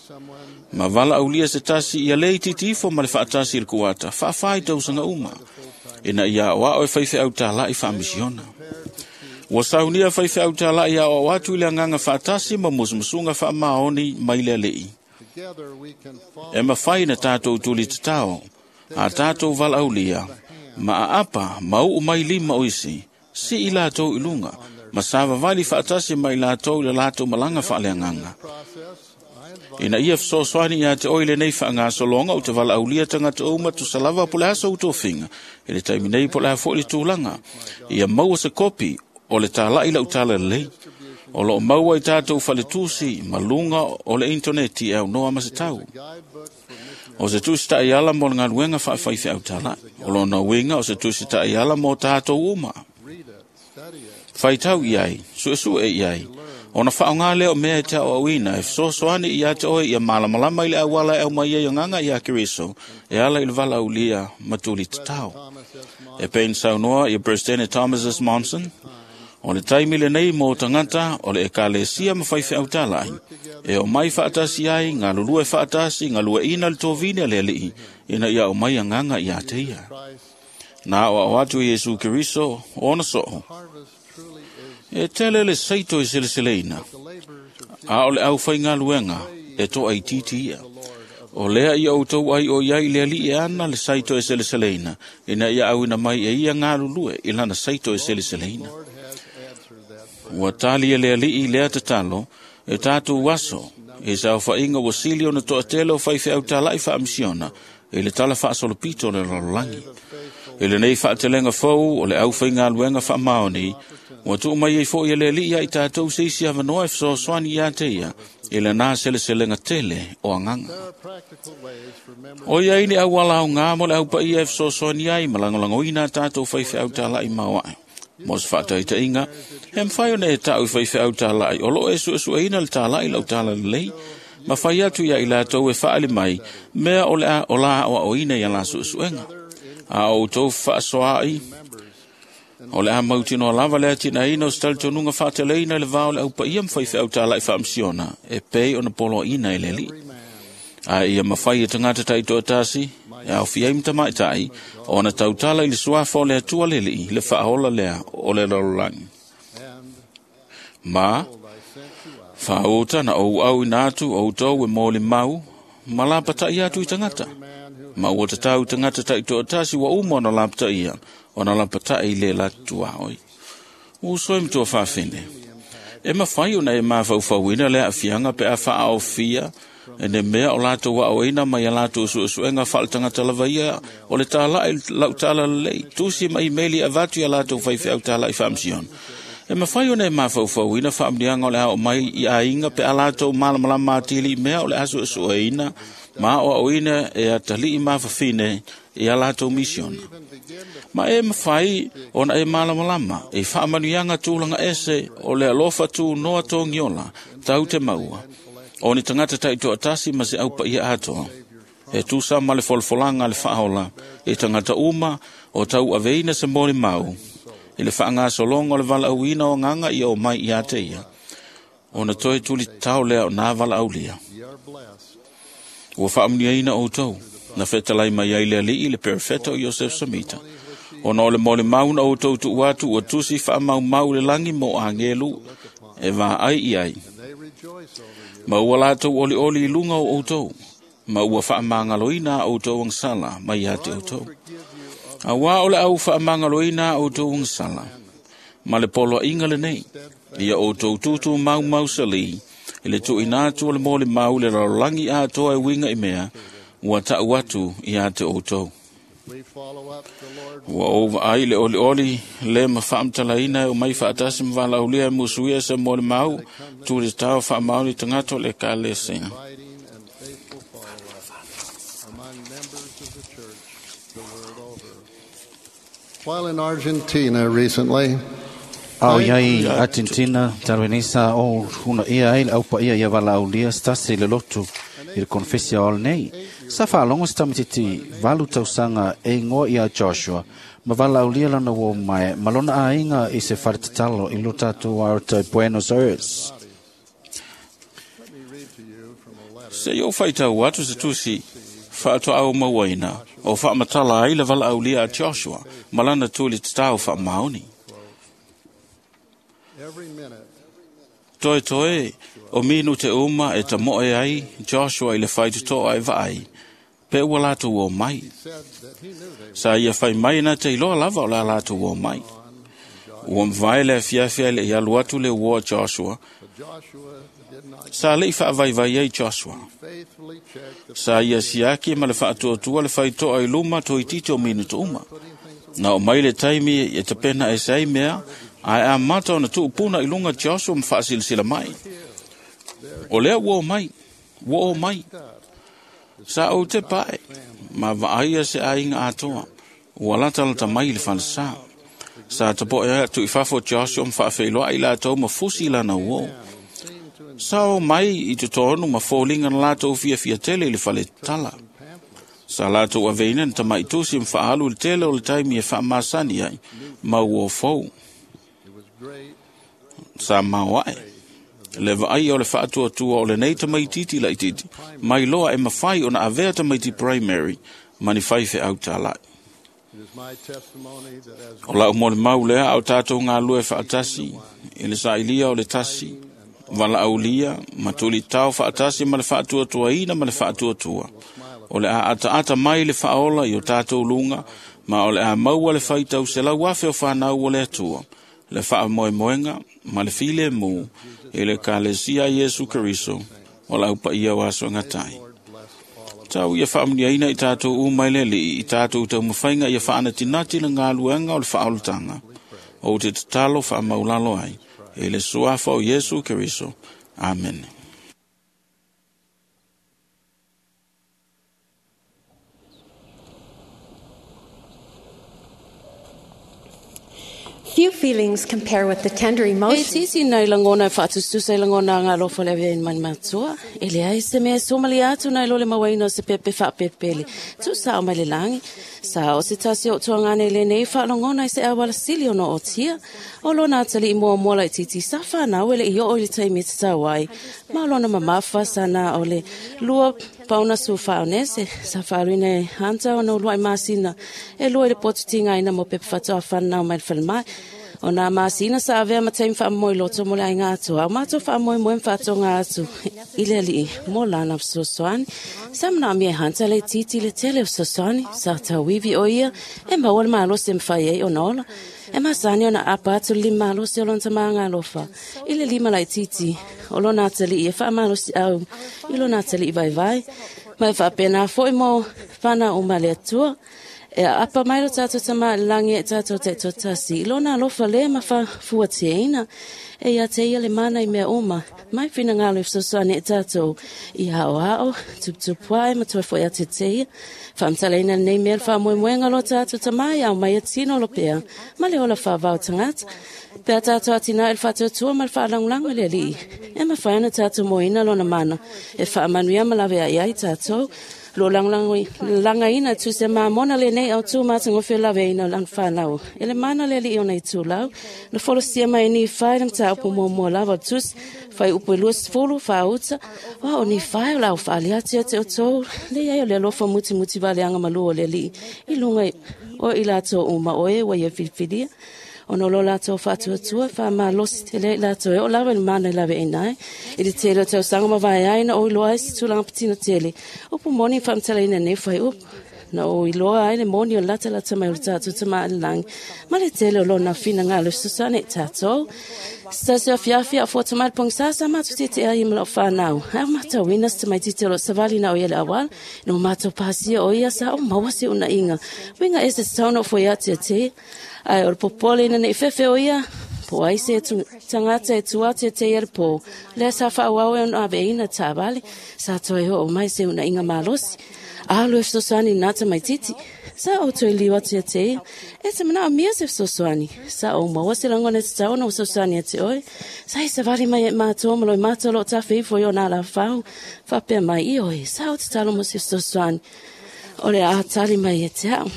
Ma valaaulia se tasi ia le itiiti ifo ma le faatasi i le kuata, faafā i tausaga uma, ina ia aoao e faifeau tala'i faamisiona. Ua saunia faifeau tala'i aoao atu i le agaga faatasi ma musumusuga faamaoni mai le alii. E mafai na tatou tuli tatao, a tatou valaaulia, ma aapa ma uu mai lima o isi, sii latou i luga, ma savavali faatasi mai latou i le latou malaga faaleagaga. Ina ia fesoasoani ia te oe lenei faagasologa ou te valaaulia tagata uma tusa lava po o le aso ou tofiga, i le taimi nei po o le a fo'i le tulaga, ia maua se kopi o le tala'i lau tala lelei. O loo maua i tatou faletusi ma luga o le intaneti e aunoa ma se tau. O se tusi ta'iala mo le galuega faafaifeau tala'i. O lona uiga o se tusi ta'iala mo tatou uma. Faitau i ai, suesue i ai, ona faaaogā lea o mea e te aoaoina e fesoasoani ia te oe ia malamalama i le auala e aumai ai agaga iā Keriso e ala i le valaaulia ma tuli tatao. E pei ona saunoa ia Peresetene Thomas S. Monson, o le taimi lenei mo tagata o le ekalesia ma faifeau tala'i, e omai faatasi ai, galulue faatasi, galueaiina le tovine a le alii, ina ia aumai agaga ia te ia. Na aoao atu e Iesu Keriso ona soo, e tele le saito i seleseleina, a o le aufaigaluega e toaitiiti ia. O lea ia outou ai o iai le alii e ana le saito e seleseleina, ina ia auina mai e ia galulue i lana saito e seleseleina. Ua tali e le alii lea tatalo, e tatou aso, i saofaiga ua sili ona toatele o faifeau tala'i faamisiona, i le tala faasolopito o le lalolagi. I lenei faatelega fou o le aufaigaluega faamaoni, ua tuu mai ai fo'i e le alii ia i tatou se isi avanoa e fesoasoani ia te ia, i lenā seleselega tele o agaga. O ia ai ni auala aogā mo le aupaia e fesoasoani ai ma lagolagoina a tatou faifeau tala'i maoae. Mo se faataitaiga, e mafai ona e ta'u i faifeau tala'i o loo e suesueina le tala'i lau tala lelei, ma fai atu ia i latou e faaali mai mea o le a o la aoaoina ia la suesuega. A o outou faasoa'i, o le a mautinoa lava le atinaeina o se talitonuga faateleina i le va o le aupaia ma faifeau tala'i faamisiona, e pei ona poloaina e le alii. Ae ia mafai e tagata taitoatasi, e aofia ai ma tamaita'i, ona tautala i le suafa o le Atua le Alii, le faaola lea o le lalolagi. Ma, faauta na ou auina atu outou e molimau, ma lapata'i atu i tagata. Ma ua tatau tagata taitoatasi ua uma ona lapataia, ona lapata'i le latuaoi. Uso e matua faafine, e mafai ona e mafaufauina le aafiaga pe a faaofia e le mea o latou aoaoina mai a latou suesuega faaletagata lava ia o le tala'i lau tala lelei, tusi ma imeli e avatu ia latou faifeau tala'i faamisiona. E mafai ona e mafaufauina faamuniaga o le ao mai i aiga pe a latou malamalama atili i mea o le a suesueina ma aoaoina e atalii mafafine i a latou misiona. Ma e mafai ona e malamalama i faamanuiaga tulaga ese o le alofa tunoa togiola tau te maua, o ni tagata taitoatasi ma se aupaia atoa. E tusa ma le folafolaga a le faaola i tagata uma o tauaveina se molimau i le faagasologa o le valaauina o agaga ia o mai ia te ia, ona toe tuli tatao lea o nā valaaulia. Ua faamanuiaina outou Na fetalai mai ai le alii le perofeta o Iosef Samita. Ona o le molimau na outou tuu atu ua tusi faamaumau i le lagi mo agelu e vaai i ai. Ma ua latou olioli i luga o outou, ma ua faamagaloina a outou agasala mai ia te outou. Auā o le au faamagaloina a outou agasala, ma le poloaiga lenei, ia outou tutu maumausalī i le tuuina atu o le molimau i le lalolagi atoa e uiga i mea ua ta'u atu ia te outou. Ua ou vaai le olioli le ma faamatalaina e omai faatasi ma valaaulia e musuia se molimau tu le tao faamaoni tagata o le ekalesia. While in Argentina recently, A o iai Argentina talu nei sa o huna ia ai le aupaia ia valaaulia se tasi i le lotu i le konfesi o nei. Sa faalogo se tamaitiiti 8 tausaga e igoa ia Joshua ma valaaulia lana uo mae ma lona aiga i se faletatalo i lo tatou aota i Buenos Aires. Se i ou faitau atu se tusi faatoau mauaina o faamatala ai le valaaulia a Joshua ma lana tuli tatao faamaoni. Toe toe o minu te uma e tamoe ai Joshua i le faitotoa e vaai, pe ua latou o mai. Sa ia fai mai na te iloa lava o la latou o mai. Ua mavae le afiafi ai le i alu atu le uo a Joshua. Sa lei faavaivai ai Joshua. Sa ia siaki ma le faatuatua le faitoa i luma toeitiiti o minutu uma. Na o mai le taimi e tapena e se ai mea, ae amata ona tuupuna i luga Joshua ma faasilasila mai. O lea ua o mai, ua o mai. Sa ou te pae, ma vaaia se aiga atoa, ua latalata mai i le falesa. Sa tapoe atu i fafo Joshua ma faafeiloai latou ma fusi lana uo. Sa o mai i totonu ma foliga na latou fiafia tele i le faletala. Sa latou aveina na tamaitusi ma faaalu i le tele o le taimi e faamasani ai, ma uo fou. Sa maoae le vaai o le faatuatua o lenei tamaitiiti laitiiti, mai loa e mafai ona avea tamaiti primary ma ni faifeau tāla'i. O lau molimau lea a o tatou galulue faatasi i le sailia o le tasi, valaaulia ma tulitao faatasi ma le faatuatuaina ma le faatuatua. O le a ataata mai le faaola i o tatou luga, ma o le a maua le faitau 100,000 o fanau o le Atua, le faamoemoega ma le filemu i le Ekalesia a Iesu Keriso o le aupaia o aso e gata ai. Tau ia faamuniaina i tatou uma i le Alii i tatou taumafaiga ia faanatinati le galuega o le faaolataga. Ou te tatalo faamaulalo ai i le suafa o Iesu Keriso. Amene. Few feelings compare with the tender E emotions tisi nai langona e faatususa i langona nga alofa le avea i mani matua. E lea i se mea somali atu nai lole mawaina o se pepe faapepele. Tu sao mai le langi. Sa o se tasi o tuangane le nei whaalongona i se awala sili ono o tia. O lona atali i mua mua lai titi sa whanau ele i o i le taimi te tau ai. Ma o lona mamafa sana o le lua pauna su whaonese. Sa whaaluina e hanta o no luai masina. E lua i le potu tinga ina mo pepe whatoa whanau mai le whalemai. O nā masina sa avea ma taimi whaamoe loto mo le ainga atu. Au mātou whaamoe moe mwhaatonga atu. I le alii mo lana fesoasoani. Sa mana mea hanta le titi le tele o fesoasoani. Sa tauivi o ia e maua le malosi e mwhai ei ona ola. E masani ona apa atu le lima malosi o lona tamaga alofa. I le lima lai titi o lona atalii e whaamalosi au i lona atalii vaivai. Mai whaapena foi mo whana o male atua. E apa mai lo tātou tama langi e tātou te totasi. I lona alofa le ma fuateina. E ia te ia le mana i mea uma. Mai whina ngalo i fesoasoani e tātou. I hao hao, tuputupuai ma toi foi a te te ia. Whaamtaleina nei mea le whaamoemoenga lo tātou tama i au mai e tino lo pea. Ma le ola whaavao tangata. Pea tātou atina e le whaatuatua ma le whaalangulanga le alii. E mawhai ana tātou moina lona mana. E whaamanuia ma lawe ai ai tātou. Lo langaina tu se mamona lenei au tu matangofe laveina o lana fanau. E le mana le alii ona itulau, na folasia mai e Nifai le mataupu muamua lava o le Tusi, fuaiupu e 20 faauta, o au o Nifai o le a ou faaali atu ia te outou, le i ai o le alofa mutimuti valeaga malū o le Alii i luga o i latou uma o e ua ia filifilia. Ona o lo latou faatuatua, faamalosi tele ai i latou e oo lava i le mana e laveaina ai. I le tele o tausaga mavae ai na ou iloa ai se tulaga patino tele, upu moni na faamatalaina nei fuaiupu. Na ou iloa ai le moni o le latalata mai o le tatou Tama i le lagi, ma le tele o lona finagalo e fesoasoani i tatou. Se tasi o afiafi a o fuata mai le pogisa sa matou tietie ai ma lau fanau. Ae ua matauina se tamaitiiti o lo o savali na o ia i le auala. Ina ua matou pasia o ia sa ou maua se unaiga. Uiga ese tatau ona ou foi atu ia te ia. Ae o le popole ina ne i fefe o ia, po o ai se tagata e tua atu ia te ia i le pō. Lea sa faaauau ai ona aveina taavale, sa toe oo mai se unaiga malosi. Alu e fesoasoani i lena tamaitiiti. Sa ou toe liu atu ia te ia, e te manaomia se fesoasoani. Sa ou maua se lagona e tatau ona ou fesoasoani ia te oe. Sa e savali mai ia i matou ma loimata o lo o tafe ifo i ona alafau, faapea mai, Ioe, sa ou tatalo mo se fesoasoani. O le a tali mai ia te au.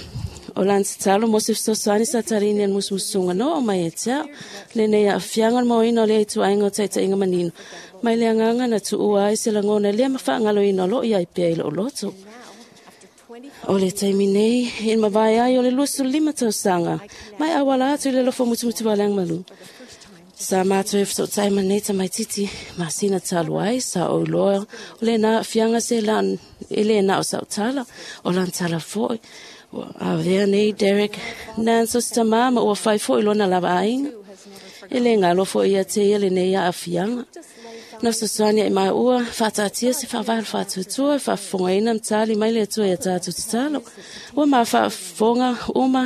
O lana tatalo mo se fesoasoani sa taliina e le musumusuga na oo mai ia te au. Lenei aafiaga o le maoina o lea ituaiga o taitaiga manino, mai le agaga na tuua ai se lagona lea ma faagaloina o lo o i ai pea i lou loto. O le taimi nei, i le mavae ai o le 25 tausaga, mai auala atu i le alofa mutumutu valeaga malu. Sa matou e fesootai ma nei tamaitiiti masina talu ai, sa ou iloa o lena aafiaga se lan, e le na o sau tala, o lana tala foi. Ua avea nei Derek Nance o se tamā ma ua fai foi lona lava aiga. E le galo foi ia te ia lenei aafiaga. Na fesoasoani ai maua, faataatia se faavae o le faatuatua e faafofogaina ma tali mai le Atua i a tatou tatalo. Ua ma faafofoga uma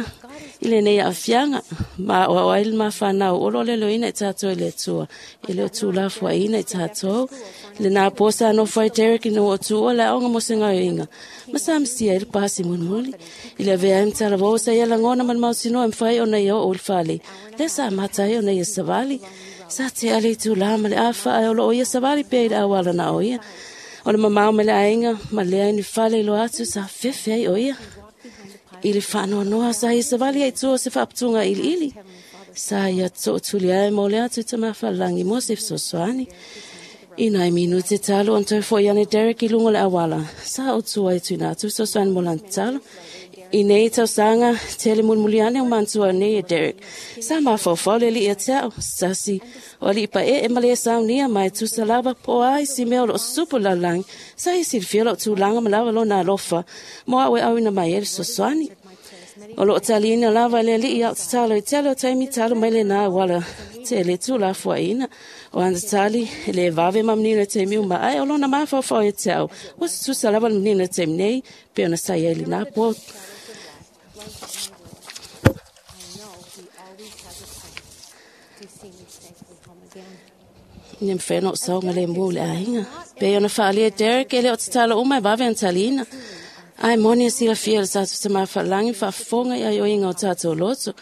i lenei aafiaga, ma aoao ai le mafanau o lo o leloina i tatou e le Atua, e le o tuulafoaiina i tatou. Lena po sa nofo ai Derek ina ua tuua le aoga mo se gaoioiga, ma sa masia ai le pasi mulimuli. I le avea ai ma talavou sa ia lagona ma le mautinoa e mafai ona ia oo i le fale, lea sa amata ai ona ia savali. Sa tea le itulā ma le afa, ae o lo o ia savali pea i le auala na o ia. O le mamao mai le aiga, ma lea ni fale iloa atu sa fefe ai o ia. I le faanoanoa sa ia savali ai tua o se faaputuga iliili. Sa ia tootuli ai mo le atu i Tamafalagi mo se fesoasoani. I nai minute talu ona toe foi ane Derek i luga o le auala, sa ou tua ai tuina atu fesoasoani mo lana tatalo. I nei tausaga, tele mulimuli ane o manatua nei e Derek. Sa mafaufau le alii ia te au, se tasi o alii paee ma le saunia ma e tusa lava po o a isi mea o lo o supu i le lalolagi, sa ia silafia lou tulaga ma lava lona alofa mo au e auina mai ai le fesoasoani. O lo o taliina lava e le alii au tatalo i tele o taimi talu mai lena auala tele tuulafoaiina. O ana tali, e le vave ma manino i taimi uma, ae o lona mafaufau ia te au, ua tutusa lava le manino i taimi nei, pei ona sa i ai lena po. Ina mafai ona ou saogalemu i le aiga. Pei ona faaalia e Derek, e le o tatalo uma e vave ona taliina. Ae moni e silafia e le tatou Tama Faalagi faafofoga i aioiga o tatou loto.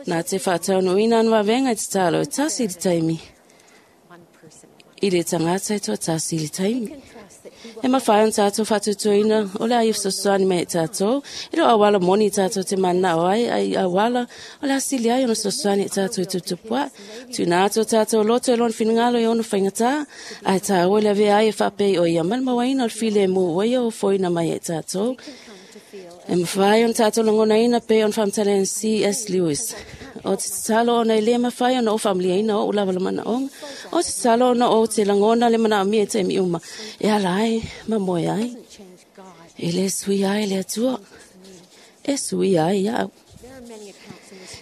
Na te faataunuuina ana vavega i tatalo e tasi i le taimi, i le tagata e toatasi i le taimi. E mafai ona tatou faatuatuaina o le a ia fesoasoani mai ia i tatou, e le o auala moni i tatou te mananao ai, a i auala o le a sili ai ona fesoasoani ia i tatou i tuputupu ae. Tuuina atu o tatou loto e lona finagalo i ona faigata, ae taua le avea ai e faapei o ia ma le mauaina o le filemu ua ia ofoina mai ia i tatou. E mafai ona tatou lagonaina pei ona faamatalaina C.S. Lewis. O te tatalo ona e le mafai ona ou faamalieina oʻu lava le manaoga. O te tatalo ona ou te lagona le manaomia i taimi uma e ala ai ma moe ai. E le suia ai le Atua, e suia ai iaʻu.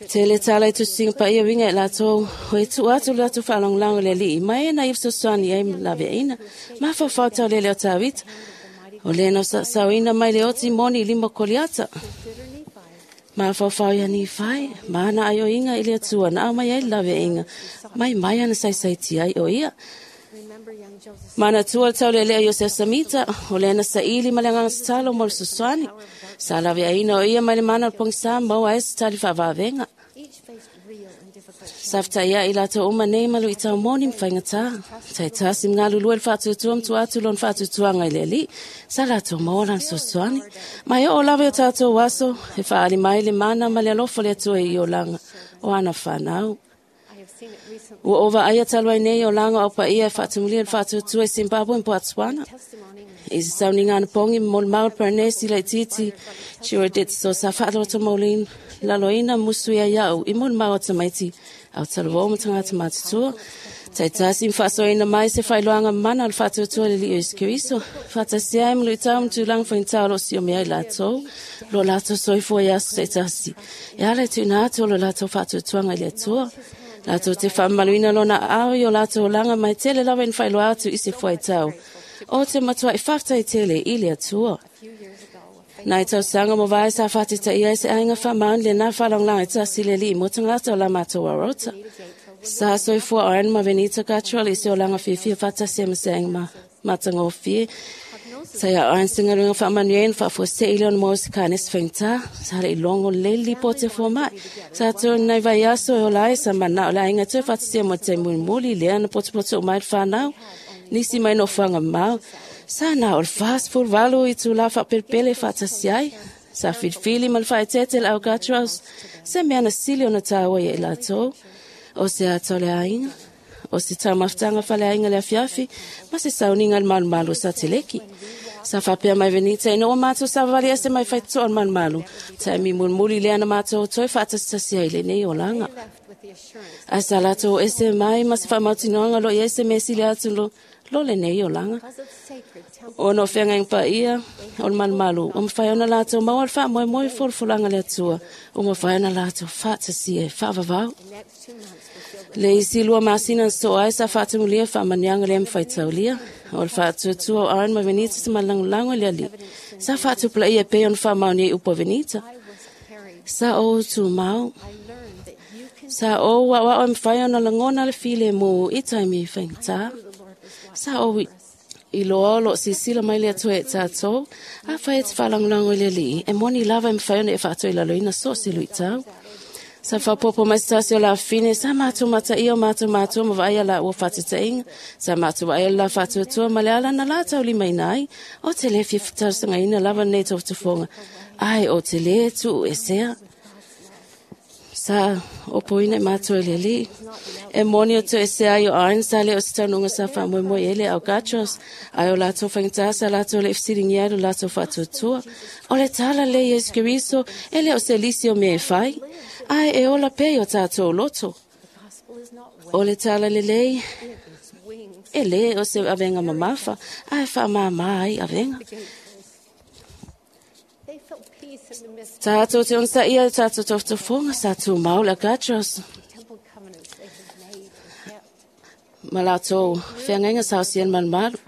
Tele tala i tusiga paia uiga i latou, o e tuu atu le latou faalagolago i le Alii, ma e na ia fesoasoani ai ma laveaiina. Mafaufau taulele o Tavita, o lea na saoina mai le oti moni i lima o Koliata. Mafaufau ia Nifai, ma ana aioiga i le Atua na aumai ai le laveaiga, mai mai ana saisaitia ai o ia. Manatua le taulealea o Iosefa Samita, o lea na saili ma le agaga tatalo mo le fesoasoani. Sa laveaiina o ia mai le mana o le pogisa maua ai se tali faavavega. Sa fetaʻiaʻi latou uma nei ma luʻitau moni ma faigatā. Taitasi ma galulue le faatuatua ma tua atu lona faatuatuaga i le Alii. Sa latou maua lana fesoasoani. Ma e oo lava i o tatou aso, e faaali mai le mana ma le alofa o le Atua i olaga o ana fanau. Ua ou vaaia talu ai nei olaga o au paia e faatumulia le faatuatua i Zimbabwe ma Botswana. I se sauniga anapogi ma molimau le Paranesi laitiiti Chirodetso sa faalotomaulina laloina musu ia ia'u i molimau a tamaiti au talavou ma tagata matutua. Taitasi ma faasoaina mai se faailoaga mana o le faatuatua i le Alii o Iesu Keriso. Faatasia ai ma luitau ma tulaga faigata o loo siomia ai latou, lo latou soifua i aso taitasi. E ala i tuuina atu o lo latou faatuatuaga i le Atua. Latou te faamamaluina lona aao i o latou olaga mai tele lava ina faailoa atu i se fuaitau. O te matuai faafetai tele i le Atua. Nai tausaga mo vae sa faatetaia ai se aiga faamaoni lena faalagolago e tasi le Alii mo tagata o la matou aorota. Sa soifua o Aaron ma Venita Gatrell i se olaga fiafia faatasi ai ma se aiga matagofie. Sa ia Aaron se galuega faamanuia na faafuasei lea ona maua se kanesi faigata. Sa le i logo lelei le lipoti a fomai. Sa toe nai vaiaso e ola ai sa manao le aiga toe faatasia mo le taimi mulimuli lea na potopoto uma ai le fanau. Nisi mai nofoaga mamao. Sa na o le 48 itulā faapelepele e faatasi ai. Sa filifili ma le faaeteete le au Gatrells, se mea na sili ona tāua ia i latou. O se ata o le aiga, o se taumafataga faleaiga le afiafi, ma se sauniga i le malumalu o Sateleki. Sa faapea mai Venita ina ua matou savavali ese mai faitotoa o le malumalu, taimi mulimuli lea na matou toe faatasitasi ai i lenei olaga. Ae sa latou ese mai ma se faamautinoaga o lo o i ai se mea sili atu lo lenei olaga. Ona o feagaiga paia o le malumalu, ua mafai ona latou maua le faamoemoe i folafolaga a le Atua, ua mafai ona latou faatasia e faavavau. Le isi 2 masina na sosoo ai sa faatumulia faamanuiaga lea ma faitaulia. O le faatuatua o Aaron ma Venita se malagolago i le Alii. Sa faatupulaia e pei ona faamaonia i upu a Venita. Sa ou tumau. Sa ou aoao e mafai ona lagona le filemu i taimi faigata. Sa ou iloa o loo silasila mai le Atua ia i tatou. Afai e te faalagolago i le Alii, e moni lava e mafai ona e faatoilaloina so o se luitau. Sa faapopo mai se tasi o lafine, sa matou mataia o matou matua ma vaaia laua faatetaiga. Sa matou vaaia le la faatuatua ma le ala na la taulimaina ai. O te le fia talosagaina lava lenei tofotofoga, ae o te le tuu esea. Sa opoina i matou e le Alii. E moni o toesea ai o Aaron sa le o se taunuuga sa faamoemoe i ai le au Gatrells, ae o latou faigata sa latou le i fesiligia ai lo latou faatuatua. O le tala lea Iesu Keriso e le o se lisi o mea e fai, ae e ola pea i o tatou loto. O le tala lelei e le o se avega mamafa, ae faamāmā ai avega. Tatou te onosaia i tatou tofotofoga sa tumau le Gatrells ma latou feagaiga sa osia le malumalu.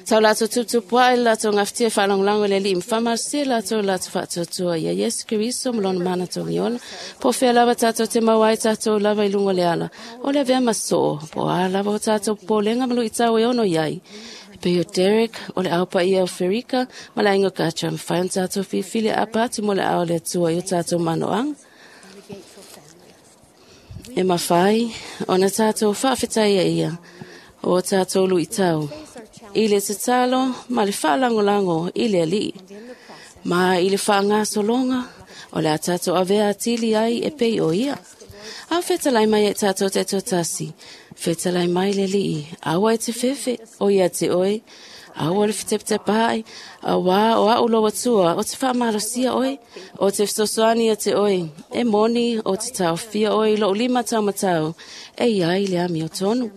Tau latou tuputupuaʻi le latou gafatia e faalagolago i le Alii ma faamalosia latou i le latou faatuatua ia Iesu Keriso ma lona mana togiola. Po o fea lava tatou te maua ai tatou lava i luga o le ala, o le avea ma soo, po o a lava o tatou popolega ma luitau e ono i ai. E pei o Derek, o le ao paia o Ferika, ma le aiga o Gatrell, mafai ona tatou filifili e aapa atu mo le ao o le Atua i o tatou manoaga. E mafai ona tatou faafetaia ia o tatou luitau i le tatalo ma le faalagolago i le Alii. Ma i le faagasologa o le a tatou avea atili ai e pei o ia. Au fetalai mai e tatou te tasi, fetalai mai le Alii, aua e te fefe, o ia te oe, aua le fetepetepaai, auā o au lou Atua o te faamalosia oe, o te fesoasoani ia te oe, e moni o te taofia oe i lou lima taumatau, e iai le amiotonu.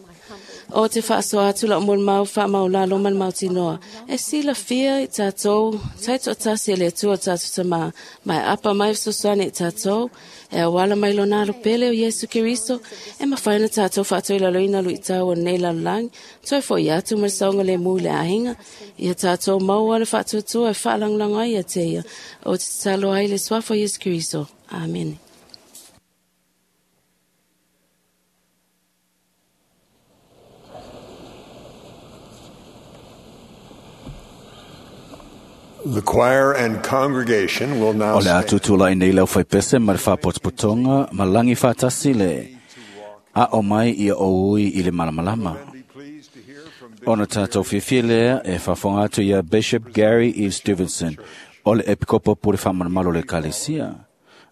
O te faasoa atu lau molimau faamaulalo ma le mautinoa, e silafia i tatou, taitoatasi e le Atua o tatou Tamā, ma e apa mai fesoasoani i tatou, e auala mai lona alo pele o Iesu Keriso, e mafai ona tatou faatoilaloina luitau o lenei lalolagi, toe fo'i atu ma le saogalemu i le aiga, ia tatou maua le faatuatua e faalagolago ai ia te ia, o te tatalo ai le suafa o Iesu Keriso. Amene. The choir and congregation will now O le stand. atu tūlai nei lau whaipese ma le whāpotopotonga ma langi whātasi le a o mai ia o ui i le malamalama. Ona tātou whiwhi lea e whawhonga atu ia Bishop Gary E. Stevenson o le Epikopo Pure Whamanamalo le Kalesia.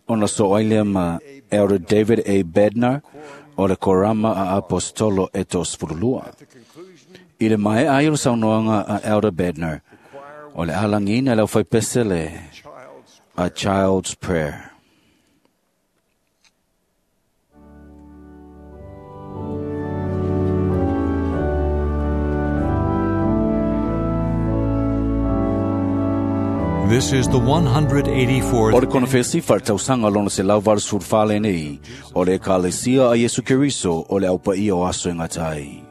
Ona so ai lea ma Elder David A. Bednar o le Korama a Apostolo e tō sfurulua. I le mai ai o le saunoanga a Elder Bednar o le alangina lau whaipese le A Child's Prayer. This is the 184th O le konofesi whartausanga lona se lau varu surfale nei, o le ekalesia a Yesu Keriso o le aupa ia o aso e ngatai.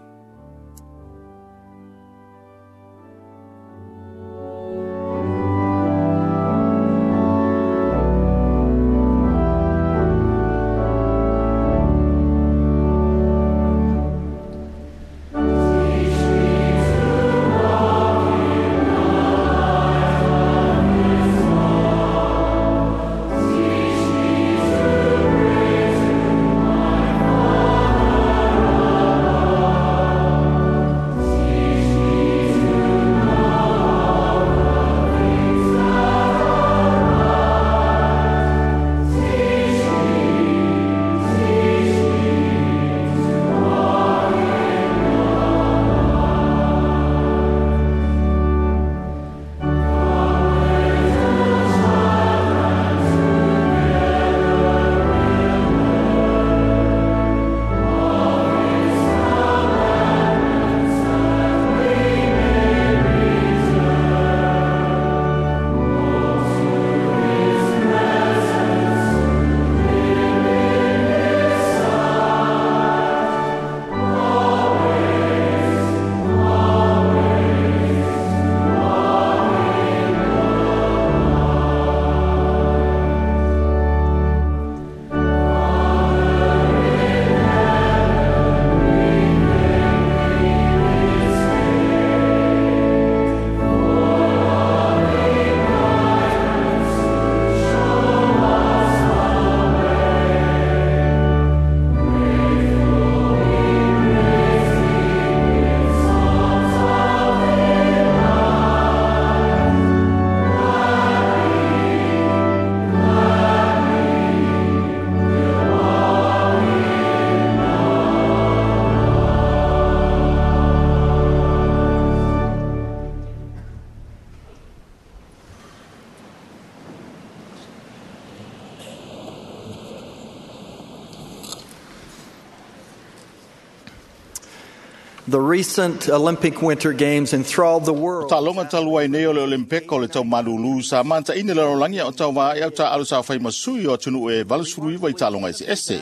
The recent Olympic Winter Games enthralled the world. Taaloga talu ai nei o le Olympeka o le tau malūlū sa mataʻini le lalolagi a o tauvā e au taʻalo sa fai ma sui o atunuu e 89 i taaloga eseese.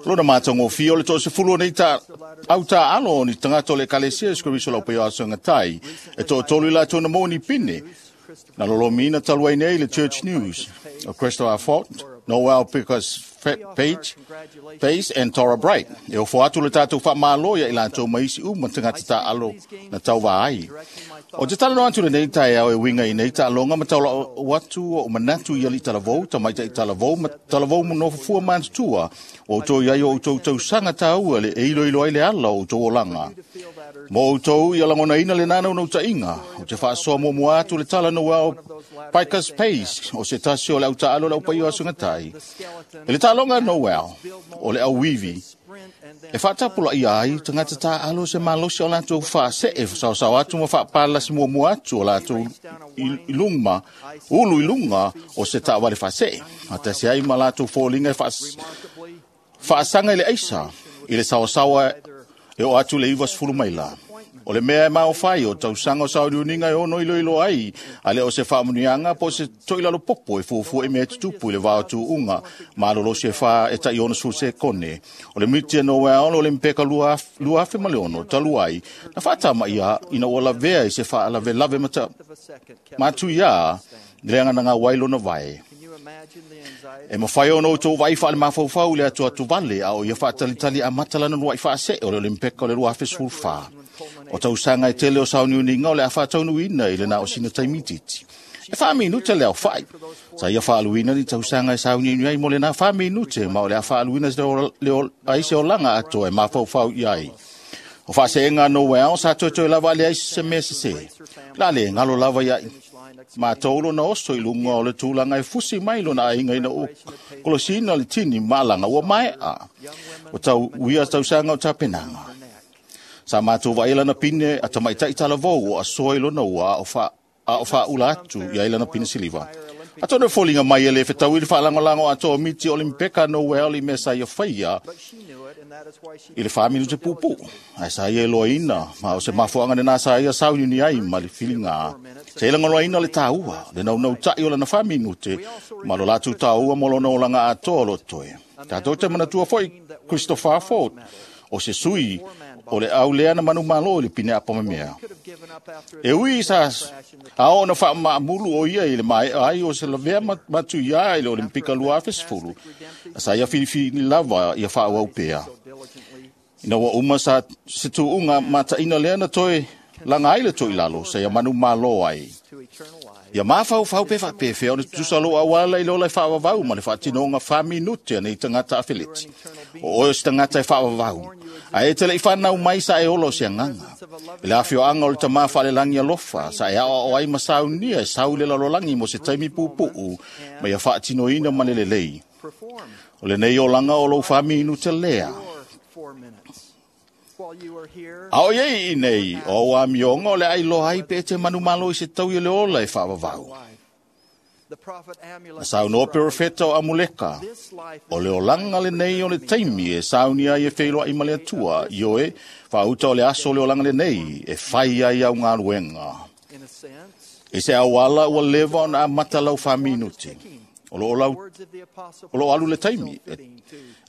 Lona matagofie o le toasefulu o nei ta au taʻalo o ni tagata o le ekalesia Iesu Keriso lau paia o aso e gatai e toatolu i latou na maua ni pine na lolomiina talu ai nei le Church News o Christopher Fort, Noel Pickers Page, Pace and Tora Bright. E ofo atu le tātou whaamalo ia i latou maisi u ma tagata taʻalo na tauvā ai. O te talanoa atu lenei taeao e uiga i nei taaloga ma taula'u atu o manatu i aliʻi talavou, tamaitaʻi talavou ma talavou nofofua matutua o outou i ai o outou tausaga tāua le e iloilo ai le ala o outou olaga. Mo outou ia lagonaina le nanaunautāʻiga o te faasoa muamua atu le tala Noel Pikas Pace o se tasi o le autaalo le aupaia o asogatai. E le taaloga Noel o le auivi e faatapulaia ai tagata taalo se malosi o latou faasee saosao atu ma faapalasi muamua atu o latou i luma ulu i luga o se taavale faasee atasi ai ma latou foliga e faasaga i le aisa i le saosaoa e oo atu le 90 maila. O le mea e maofai o tausaga o sauniuniga e ono iloilo ai a le o se faamanuiaga po o se toʻilalo popo e fuafua i mea e tutupu i le vā o tuuga malolosi e fā e taʻi 60 sekone. O le miti e Noel o le mpeka 2006 talu ai na faatamaia ina ua lavea i se faalavelave matuiā le aganaga ai lona vae. E mawhai ono tō vai wha le mafaufau le atu atu vale a o ia whaatalitali a matalana nua i whaase o le Olympeka o le rua awhe O tausanga e tele o sauniuniga o le a whaataunuina i le na o sina taimititi. E 4 minute le aofa'i. Sa ia fa'aaluina ni tausaga e sauniuni ai mo lenā 4 minute ma o le a fa'aaluina ai se olaga atoa e mafaufau i ai. O fa'ase'ega a Noel sa toetoe lava aleai se mea sesē. La lē galo lava ia'i matou lona oso i luga o le tulaga e fusi mai lona aiga ina ua kolosina le tini ma alaga ua mae'a. O tau uia tausaga o tapenaga. Sa matou vaai lana pine a tamaita'i talavou o asoa i lona ua a o fa'aula atu i ai lana pine siliva. Atonu e foliga mai e lē fetaui le fa'alagolago atoa o miti o Olimpeka Noel i mea sa ia faia i le 4 minute puupuu. Ae sa ia iloaina ma o se mafuaaga lenā sa ia sauniuni ai ma le filigā. Sa ia lagolaina le tāua, le naunauta'i o lana 4 minute ma lo latou tāua mo lona olaga atoa o lo toe. Tatou te manatua fo'i Christopher Ford, o se sui o le au lea na manumalo i le pine apamamea. E ui sa ao ona fa'amaamulu o ia i le mae'a ai o se lavea matuiā i le Olimpika 2010, sa ia filifili lava ia fa'aauau pea. Ina ua uma sa se tu'uga mata'ina lea na toe laga ai le to'ilalo, sa ia manumalo ai. Ia mafaufau pe fa'apefea ona tutusa lou auala i le ola e fa'avavau ma le fa'atinoga 4 minute a nei tagata afeleti. O oe o se tagata e fa'avavau. Ae e te le'i fanau mai sa e ola o se agaga. I le afioaga o le tamā fa'alelagi alofa, sa e aoao ai ma saunia e sau i le lalolagi mo se taimi puupuu ma ia fa'atinoina ma le lelei. O lenei olaga o lou 4 minute lea. A o iai i nei, o au amioga o le ailoa ai pe e te manumalo i se taui o le ola e fa'avavau. Na saunoa perofeta o Amuleka, o le olaga lenei o le taimi e sauni ai e feiloa'i ma le Atua, ioe, fa'auta o le aso o le olaga lenei e fai ai au galuega. I se auala ua leva ona amata lau 4 minute. O loo alu le taimi, e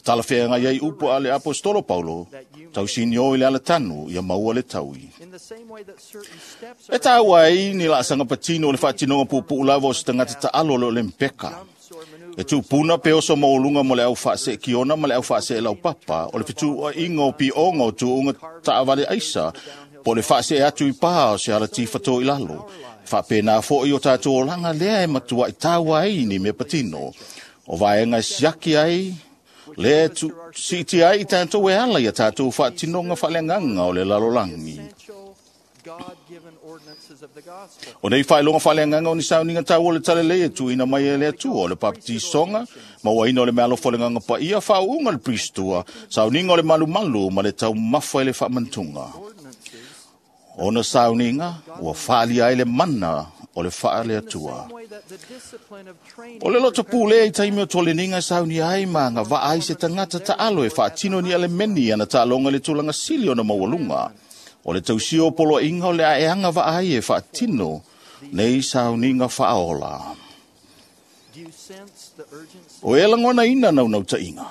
talafeagai ai upu a le apostolo Paulo, tausinio i le alatanu ia maua le taui. E tāua ai ni la'asaga patino o le fa'atinoga puupuu lava o se tagata ta'alo o le Olimpeka. E tupuna pe oso maualuga mo le au fa'ase'ekiona ma le au fa'ase'e laupapa, o le fetu'ua'iga o pi'oga o tu'uga ta'avale aisa, po o le fa'ase'e atu i pā o se alati fatō i lalo. Fa'apena fo'i o tatou olaga lea e matua'i taua ai ni mea patino. O vaega e siaki ai, lea e si'itia ai i tatou e ala ia tatou fa'atinoga fa'aleagaga o le lalolagi. O nei fa'ailoga fa'aleagaga o ni sauniga taua o le talalei e tu'uina mai e le Atua o le papatisoga, mauaina o le mealofo o le Agaga Paia, fa'au'uga le pristua, sauniga o le malumalu ma le taumafa i le fa'amanutuga. Ona sauniga ua fa'alia ai le mana o le fa'aleatua. O le loto pulea i taimi o toleniga e saunia ai ma agava'a ai se tagata ta'alo e fa'atino ni alemeni ana ta'aloga i le tulaga sili ona maualuga. O le tausia o poloa'iga o le a'eaga va'a ai e fa'atino nei sauniga fa'aola. O e lagonaina naunauta'iga.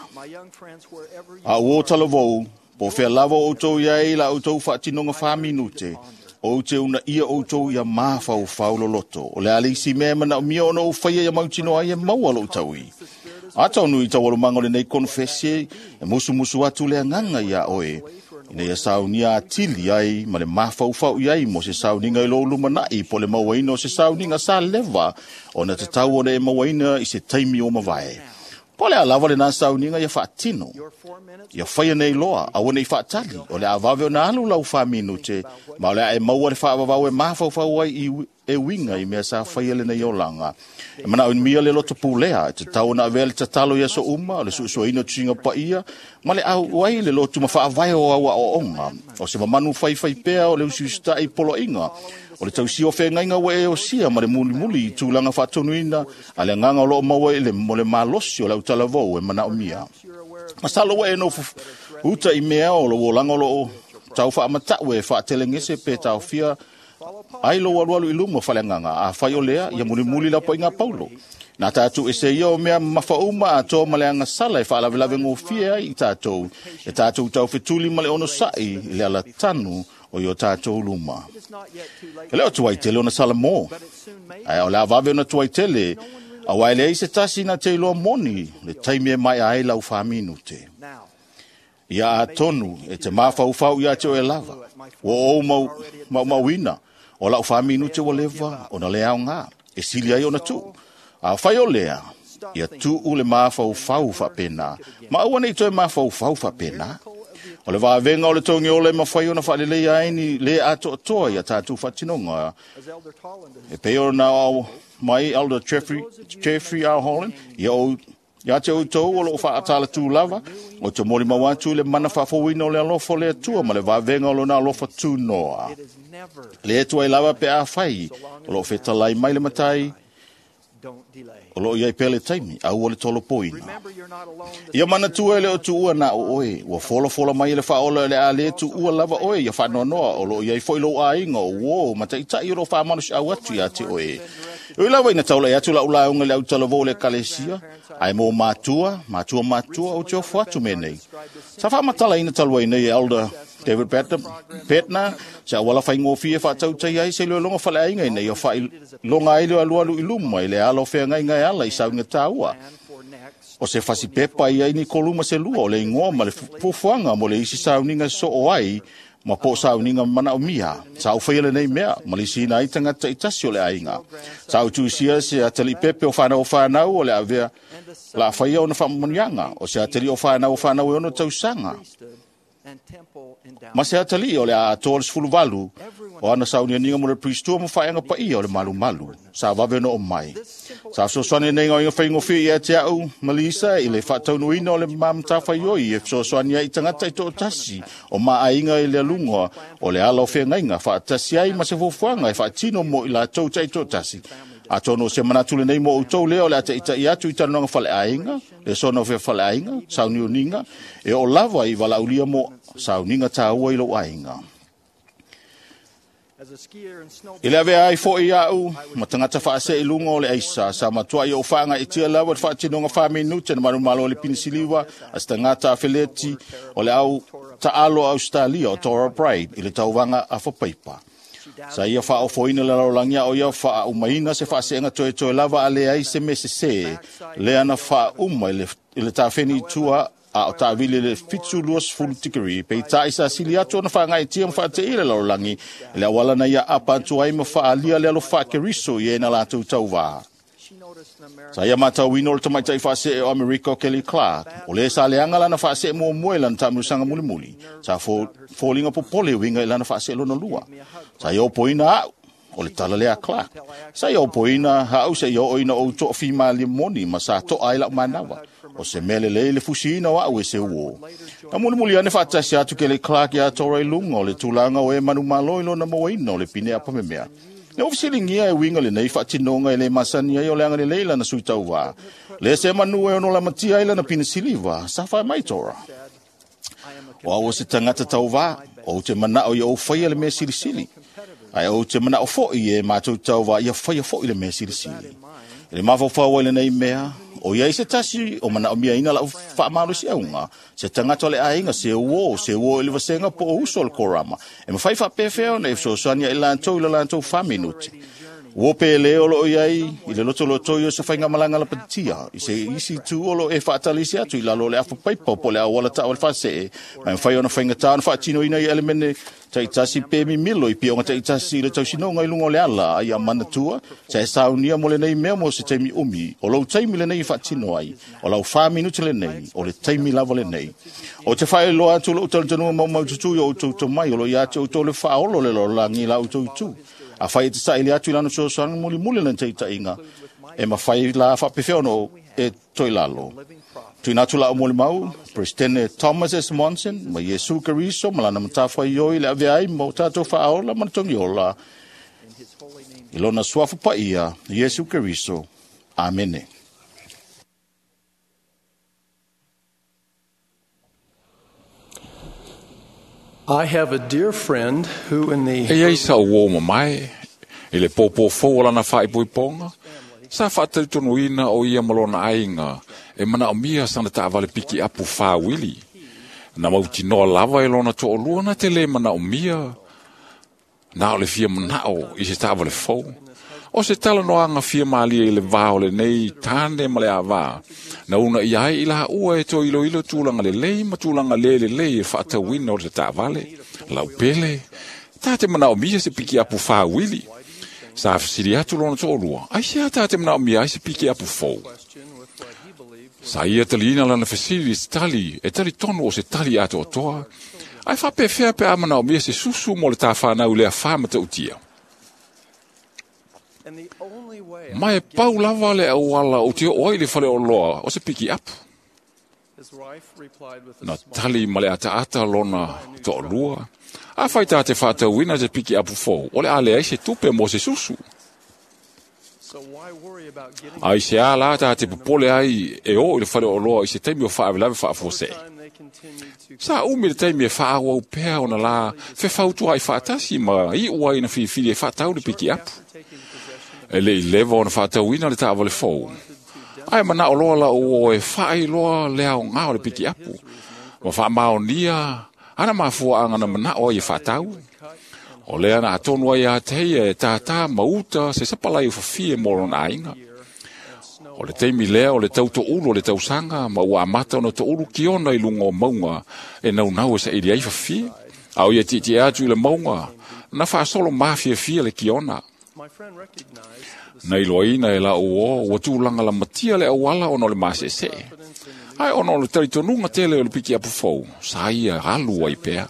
A ua o talavou, po fea lava o outou i ai la outou fa'atinoga 4 minute, ou te unaia outou ia mafaufau loloto. O le a le isi mea e mana'omia ona ou faia ia mautinoa ai e maua lo'u taui. Ataonui taualumaga o lenei konofesi e musumusu atu le agaga iā oe, ina ia saunia atili ai ma le mafaufau i ai mo se sauniga i lou lumana'i po le mauaina o se sauniga sa leva ona tatau ona e mauaina i se taimi o mavae. Po le a lava lenā sauniga ia fa'atino. Ia faia nei loa, aua nei fa'atali, o le a vave ona alu lau 4 minute, ma o le a e maua le fa'avavau e mafaufau ai i e uiga i mea sa faia lenei olaga. E mana'omia le loto pulea, e tatau ona avea le tatalo i aso uma, o le su'esu'eina o tusiga paia, ma le au ai le lotu ma fa'avae o au a'oa'oga. O se mamanu faifai pea o le usiusita'i poloa'iga, o le tausia o fegaiga ua e osia ma le mulimuli i tulaga fa'atonuina a le agaga o lo'o maua i le mo le malosi o le autalavou e mana'omia. Masalo ua e nofo uta i mea o lou olaga o lo'o tau fa'amata'u e fa'atelegese pe taofia ai lou alualu i luma faleagaga a fai o lea ia mulimuli lapa'iga Paulo. Na tatou ese ia o mea mafauma atoa ma le agasala e fa'alavelave gofie ai i tatou, e tatou taufetuli ma le onosa'i i le alatanu o i o tatou luma. E le o tuai tele ona salamo, ae o le avave ona tuai tele, auā e leai se tasi na te iloa moni le taimi e mae'a ai lau 4 minute. Ia atonu e te mafaufau iā te oe lava, ua ou maumauina o la'u 4 minute ua leva ona le aogā. E sili ai ona tuu. A whai o lea, ia tuu le mafaufau faapena. Ma aua nei toe mafaufau faapena. O le vavenga o le tongi ole mawhai ona whaalelei ai ni le atoatoa ia tātou whatinonga. E pei o na au mai Elder Jeffrey R. Holland, ia o ia te outou o loo whaatala tū lava, o te mori mau atu le mana whaafowina o le alofa o le atua ma le vavenga o lona alofa tū noa. Le etu ai lava pe a whai, o loo whetalai mai le matai, o loo iai pele taimi, au o le tolo poina. Ia mana tua le o tuua na o oe, ua fola fola mai le whaola le a le tuua lava oe, ia whanoanoa, o loo iai foi lou ainga o uo, mataitai o loo whamanu au atu ia te oe. Ui lava ina taula e atu la ulaunga le autala le kalesia, ai mō mātua, mātua mātua o te ofo atu me nei. Sa whaamatala ina talua nei Elder David Petna, sa awala whai ngōfi e whaatautai ai se leo longa whale ainga nei o whai longa ai leo alualu i luma i le ala o whea ngai ngai ala i saunga tāua. O se whasi pepa i ai ni koluma se lua o le ingoa ma le fufuanga mo le isi sauninga so o ai ma po sauninga mana o mia. Sa au whaia le nei mea, ma le sina ai tangata i tasi o le ainga. Sa au tuisia se atali pepe o whanau o whanau o le avea la whaia o na whaamanianga, o se atali o whanau o whanau e ono tausanga. Ma se atali o le a atoa le 18 o ana saunianinga mo le pristua mo whaenga pa ia o le malu malu. Sa wawe no o mai. Sa fesoasoani nei ngā whaingowhi i a te au Malisa i le whaataunuina o le mamtawhai oi e fesoasoani ai tangata i tō tasi o maa ainga i le alunga o le ala o whengainga whaatasi ai ma se fuafuaga e whaatino mo i la tau tai tō tasi. A tono se manatule nei mo outou lea o le ata i atu i talanoga faleaiga, le sona o fea faleaiga, sauniuniga, e o lava i valaulia mo sauniga tāua i lou aiga. I le avea ai foi au, ma tagata faasee i luga o le aisa, sa matua i ou faagaitia lava le faatinoga 4 minute na malumalo o le pinisiliva, a se tagata afeleti o le au taalo a Australia o Torah Pride i le tauvaga afapaipa. Sa ia faaofoina le lalolagi o ia faaumaina se faaseenga toetoe lava a leai se me sesē lea na faauma i le tafeni i tua a o taavili le 720 tikiri peitai sa sili atu ona faagaitia ma faateia le lalolagi i le auala na ia apa atu ai ma faalia le alofa Keriso i e na latou tauvā. Sa ia matauina o le tamaitai faasee o Amerika o Kelly Clark, o le sa leaga lana faasee muamua i lana taamilosaga mulimuli, sa foliga popole uiga i lana faasee lona lua. Sa ia opoina au, o le tala lea Clark. Sa ia opoina au se ia oo ina ou toafimalie moni ma sa toa ai lau manawa. O se mea lelei le fusiina o au e se uo. Na mulimuli ane faatasi atu Kelly Clark ia Tora i luga o le tulaga o e manumalo i lona mauaina o le pine apamemea. Le ofisilingia e winga le nei whaatinonga e le masani ai o le anga le leila na sui tauvā. Le se manu e ono la matia ai lana pina siliva, sa whai mai Tora. O au o se tangata tauvā, o te mana o ia o whaia le mea silisili. Ai o te mana o foi e mātou tauvā ia whaia foi le mea silisili. E le mafaufau ai le nei mea, o ia i se tasi o mana o mia ina lau whaamalo si aunga, se tangata le ainga, se uo i le vasenga po o uso o le korama. E mawhai whapewheo na e fesoasoani i lantou i le lantou 4 minute. Ua pe le o loo iai i le loto loto i o se whainga malanga la patia. I se isi tu o lo e whaatalisi atu i lalo o le afa paipa po le awala ta o le whasee. Mai mwhai ona whainga tā ona whaatino ina i elemene taitasi pe mimilo i pia onga taitasi i le tausinonga i lunga o le ala ai a manatua. Sa e saunia mo le nei mea mo se taimi umi. O lau taimi le nei whaatino ai. O lau 4 minutu le nei. O le taimi lava le nei. O te whae loa atu lo utalatanua mau mau tutu i o utou mai. O lo ia ate o le whaolo le lolangi la utou tu. A whai e te sa ili atu i lana sosoanga muli muli lana teitaiga. E mawhai la whapewheono e toi lalo. Tuina atu la o moli mau, Presidente Thomas S. Monson, ma Yesu Keriso, ma lana matawhai ioi le ave ai mo tātou whaola ma tongi ola. I lona suafa paia, Yesu Keriso. Amene. I have a dear friend who in the E iai sa o o mamae, i le pōpō fou o lana whaipoiponga, sa whaatautonuina o ia malona ainga, e mana o mia sana taavale piki apu whāwili. Na mautinoa lava e lona to'olua na te le mana o mia, na o le fia manao i se taavale fou. O se tala noanga fia malia i le vā o le nei tāne ma le avā. Na una i ai i la ua e to ilo ilo tūlanga le lei ma tūlanga le le lei e whaatauina o le taavale. Lau pele, tā te mana o mia se piki apu whāwili. Sa fesili atu lona toʻalua, “Aisea tā te manaʻomia ai se piki apu fou?” Sa ia taliina lana fesili i se tali e talitonu o se tali atoatoa, ae faapefea pe a manaʻomia se susu mo le tāwhānau i le afā matautia. Ma e pau lava le auala ou te oo ai i le faleoloa o se piki apu. Na tali ma le ataata lona toʻalua, “Afai tā te faatauina se piki apu fou, o le a leai se tupe mo se susu. Aisea lā tā te popole ai e oo i le faleoloa i se taimi o faalavelave faafuasei?” Sa umi le taimi e faaauau pea ona la fefautuaʻi faatasi ma iʻu ai na filifili e faatau le piki apu. E leʻi leva ona faatauina le taavale fou, ae manaʻo loa laʻu o e faailoa le aogā o le piki apu, ma faamaonia ana mafuaaga na manaʻo ai e faatau. O lea na atonu ai ia te ia e tātā ma uta se sapalai o fafie mo lona aiga. O le taimi lea o le tau toʻulu o le tausaga ma ua amata ona toʻulu kiona i luga o mauga e naunau e saili ai fafie. A o ia tietie atu i le mauga, na faasolo mafiafia le kiona. Na iloaina e laʻu o ua tulaga lamatia le auala ona o le maseesee. Ae ona o le talitonuga tele o le piki apu fou, sa ia alu ai pea.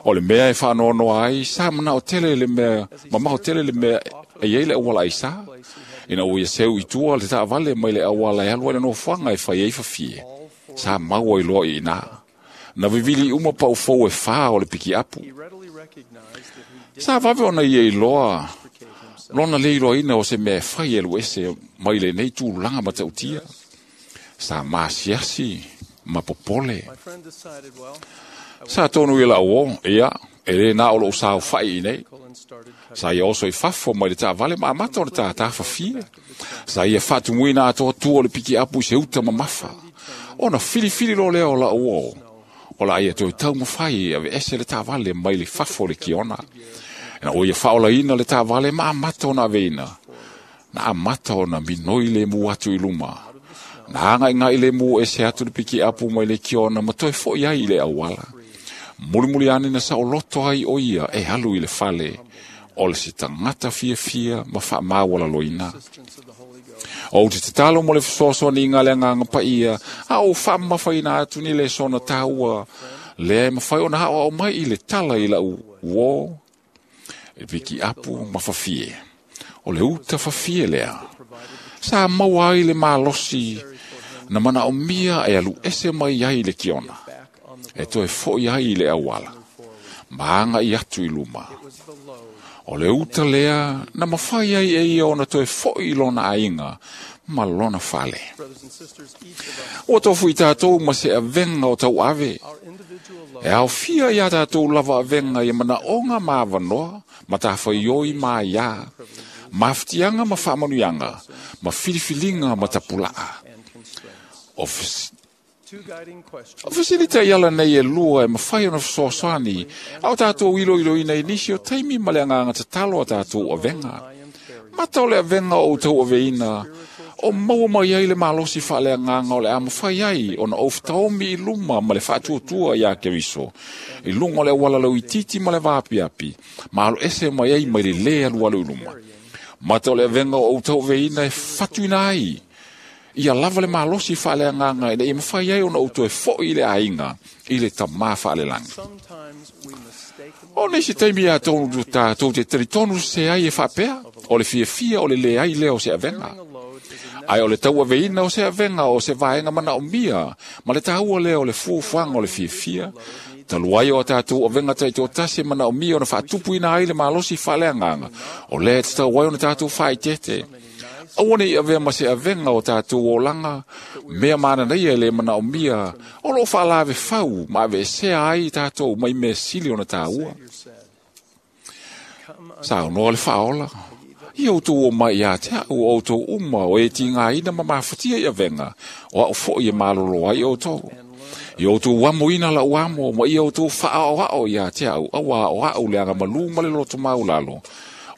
O le mea e faanoanoa ai, sa manao tele le mea, mamao tele le mea e iai le auala aisa. Ina ua ia seu i tua le taavale mai le auala e alu ai le nofoaga e fai ai fafie. Sa maua i loa i ina. Na vivili uma pau fou e 4 o le piki apu. Sa vave ona ia iloa lona le iloaina o se mea e fai e alu ese mai lenei tulaga matautia. Sa masiasi ma popole. Sa tonu i laʻu o, ia, e lē na o loʻu saofaʻi i nei. Sa ia oso i fafo mai le taavale ma amata ona tātā fafie. Sa ia faatumuina atoa tua o le piki apu i se uta mamafa. Ona filifili loa lea o laʻu o, o la ia toe taumafai e aveese le taavale mai le fafo o le kiona. Ina ua ia faaolaina le taavale ma amata ona aveina. Na amata ona minoi lemu atu i luma. Na agaigai lemu ese atu le piki apu mai le kiona ma toe foʻi ai i le auala. Mulimuli ane na saoloto ai o ia e alu i le fale o le se tagata fiafia ma faamaualaloina. Ou te tatalo mo le fesoasoaniga le agaga paia, a ou faamamafaina atu ni lesona taua lea e mafai ona aoao mai i le tala i laʻu uō, e piki apu ma fafie. O le uta fafie lea. Sa maua ai le malosi na manaʻomia e alu ese mai ai i le kiona, e toe foʻi ai i le auala, ma agaʻi atu i luma. O le uta lea na mafai ai e ia ona toe foʻi i lona aiga ma lona fale. Ua tofu i tātou ma se avega o tauave. E aofia iā tātou lava avega ia manaʻoga ma avanoa, ma tafaioi ma aiā, mafutiaga ma faamanuiaga, ma filifiliga ma tapulaa. O fesilita i ala nei e lua e mafai ona fesoasoani, a o tātou iloiloina i nisi o taimi ma le agaga tatalo a tātou avega. Mata o le avega o outou aveina, o maua mai ai le malosi faaleagaga o le a mafai ai ona ou fetaomi i luma ma le faatuatua iā Keriso, i luga o le auala lauitiiti ma le vaapiapi, ma alo ese mai ai mai le lē alualu i luma. Mata o le avega o outou aveina e fatuina ai ia lava le malosi faaleagaga ina ia mafai ai ona ou toe foʻi i le aiga i le tamā faalelagi. O nisi taimi ia tonu tātou te talitonu se ai e faapea, o le fiafia o le leai lea o se avega. Ae o le tauaveina o se avega o se vaega manaʻomia ma le taua lea o le fuafuaga o le fiafia, talu ai o a tātou avega taitoatasi e manaʻomia ona faatupuina ai le malosi faaleagaga, o lea e tatau ai ona tātou faaeteete. Aua nei avea ma se avega o tātou olaga, mea mananaia e le manaʻomia, o loo faalave fau ma aveesea ai tātou mai mea sili ona tāua. Saunoa le faaola, ia outou o mai ia te aʻu o outou uma o e tigaina ma mafatia i avega, o aʻu foʻi e malolo ai outou. Ia outou amoina laʻu amo, ma ia outou faaʻaoaʻo ia te aʻu, auā o aʻu le agamalū ma le loto maulalo,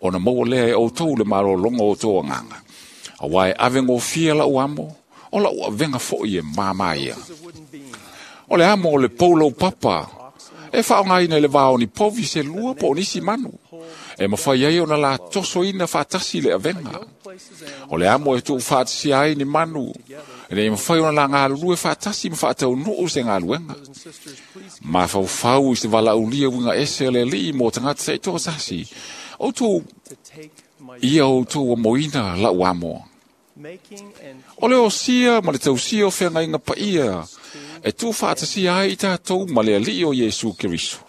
ona maua lea e outou le malologa o outou agaga. Auā e ave gofie laʻu amo, o laʻu avega foʻi e māmā ia. O le amo o le pou laupapa, e faaaogaina i le va o ni povi se lua po o nisi manu. E mawhai ai ona la toso ina whaatasi le avenga. O le amo e tuu whaatasia ai ni manu. E nei mawhai ona la ngā lulue whaatasi ma whaatau nuu se ngā luenga. Ma whau i se wala ulia winga ese le lii mō tangata se i tō sasi. O tō ia o tō moina lau amo. O le o sia ma le tausia o whengainga pa ia e tū whaatasia ai i tātou ma le alii o Iesu Keriso.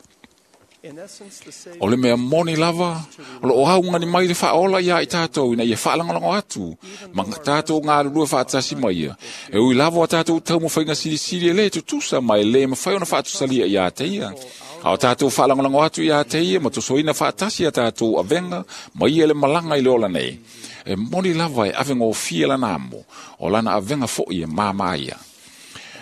O le mea moni lava, o lo o haunga ni mai le whaola ia i tātou ina ia whaalangalango atu, ma tātou ngā lulua whaatasi mai ia. E ui lava o tātou tau mawhainga silisili e le tutusa mai le mawhai ona whaatusalia i a te ia. A o tātou whaalangalango atu i a te ia, ma tosoina whaatasi a tātou avenga, ma ia le malanga i le ola nei. E moni lava e avenga o fia lana amo, o lana avenga fo i e māmā ia.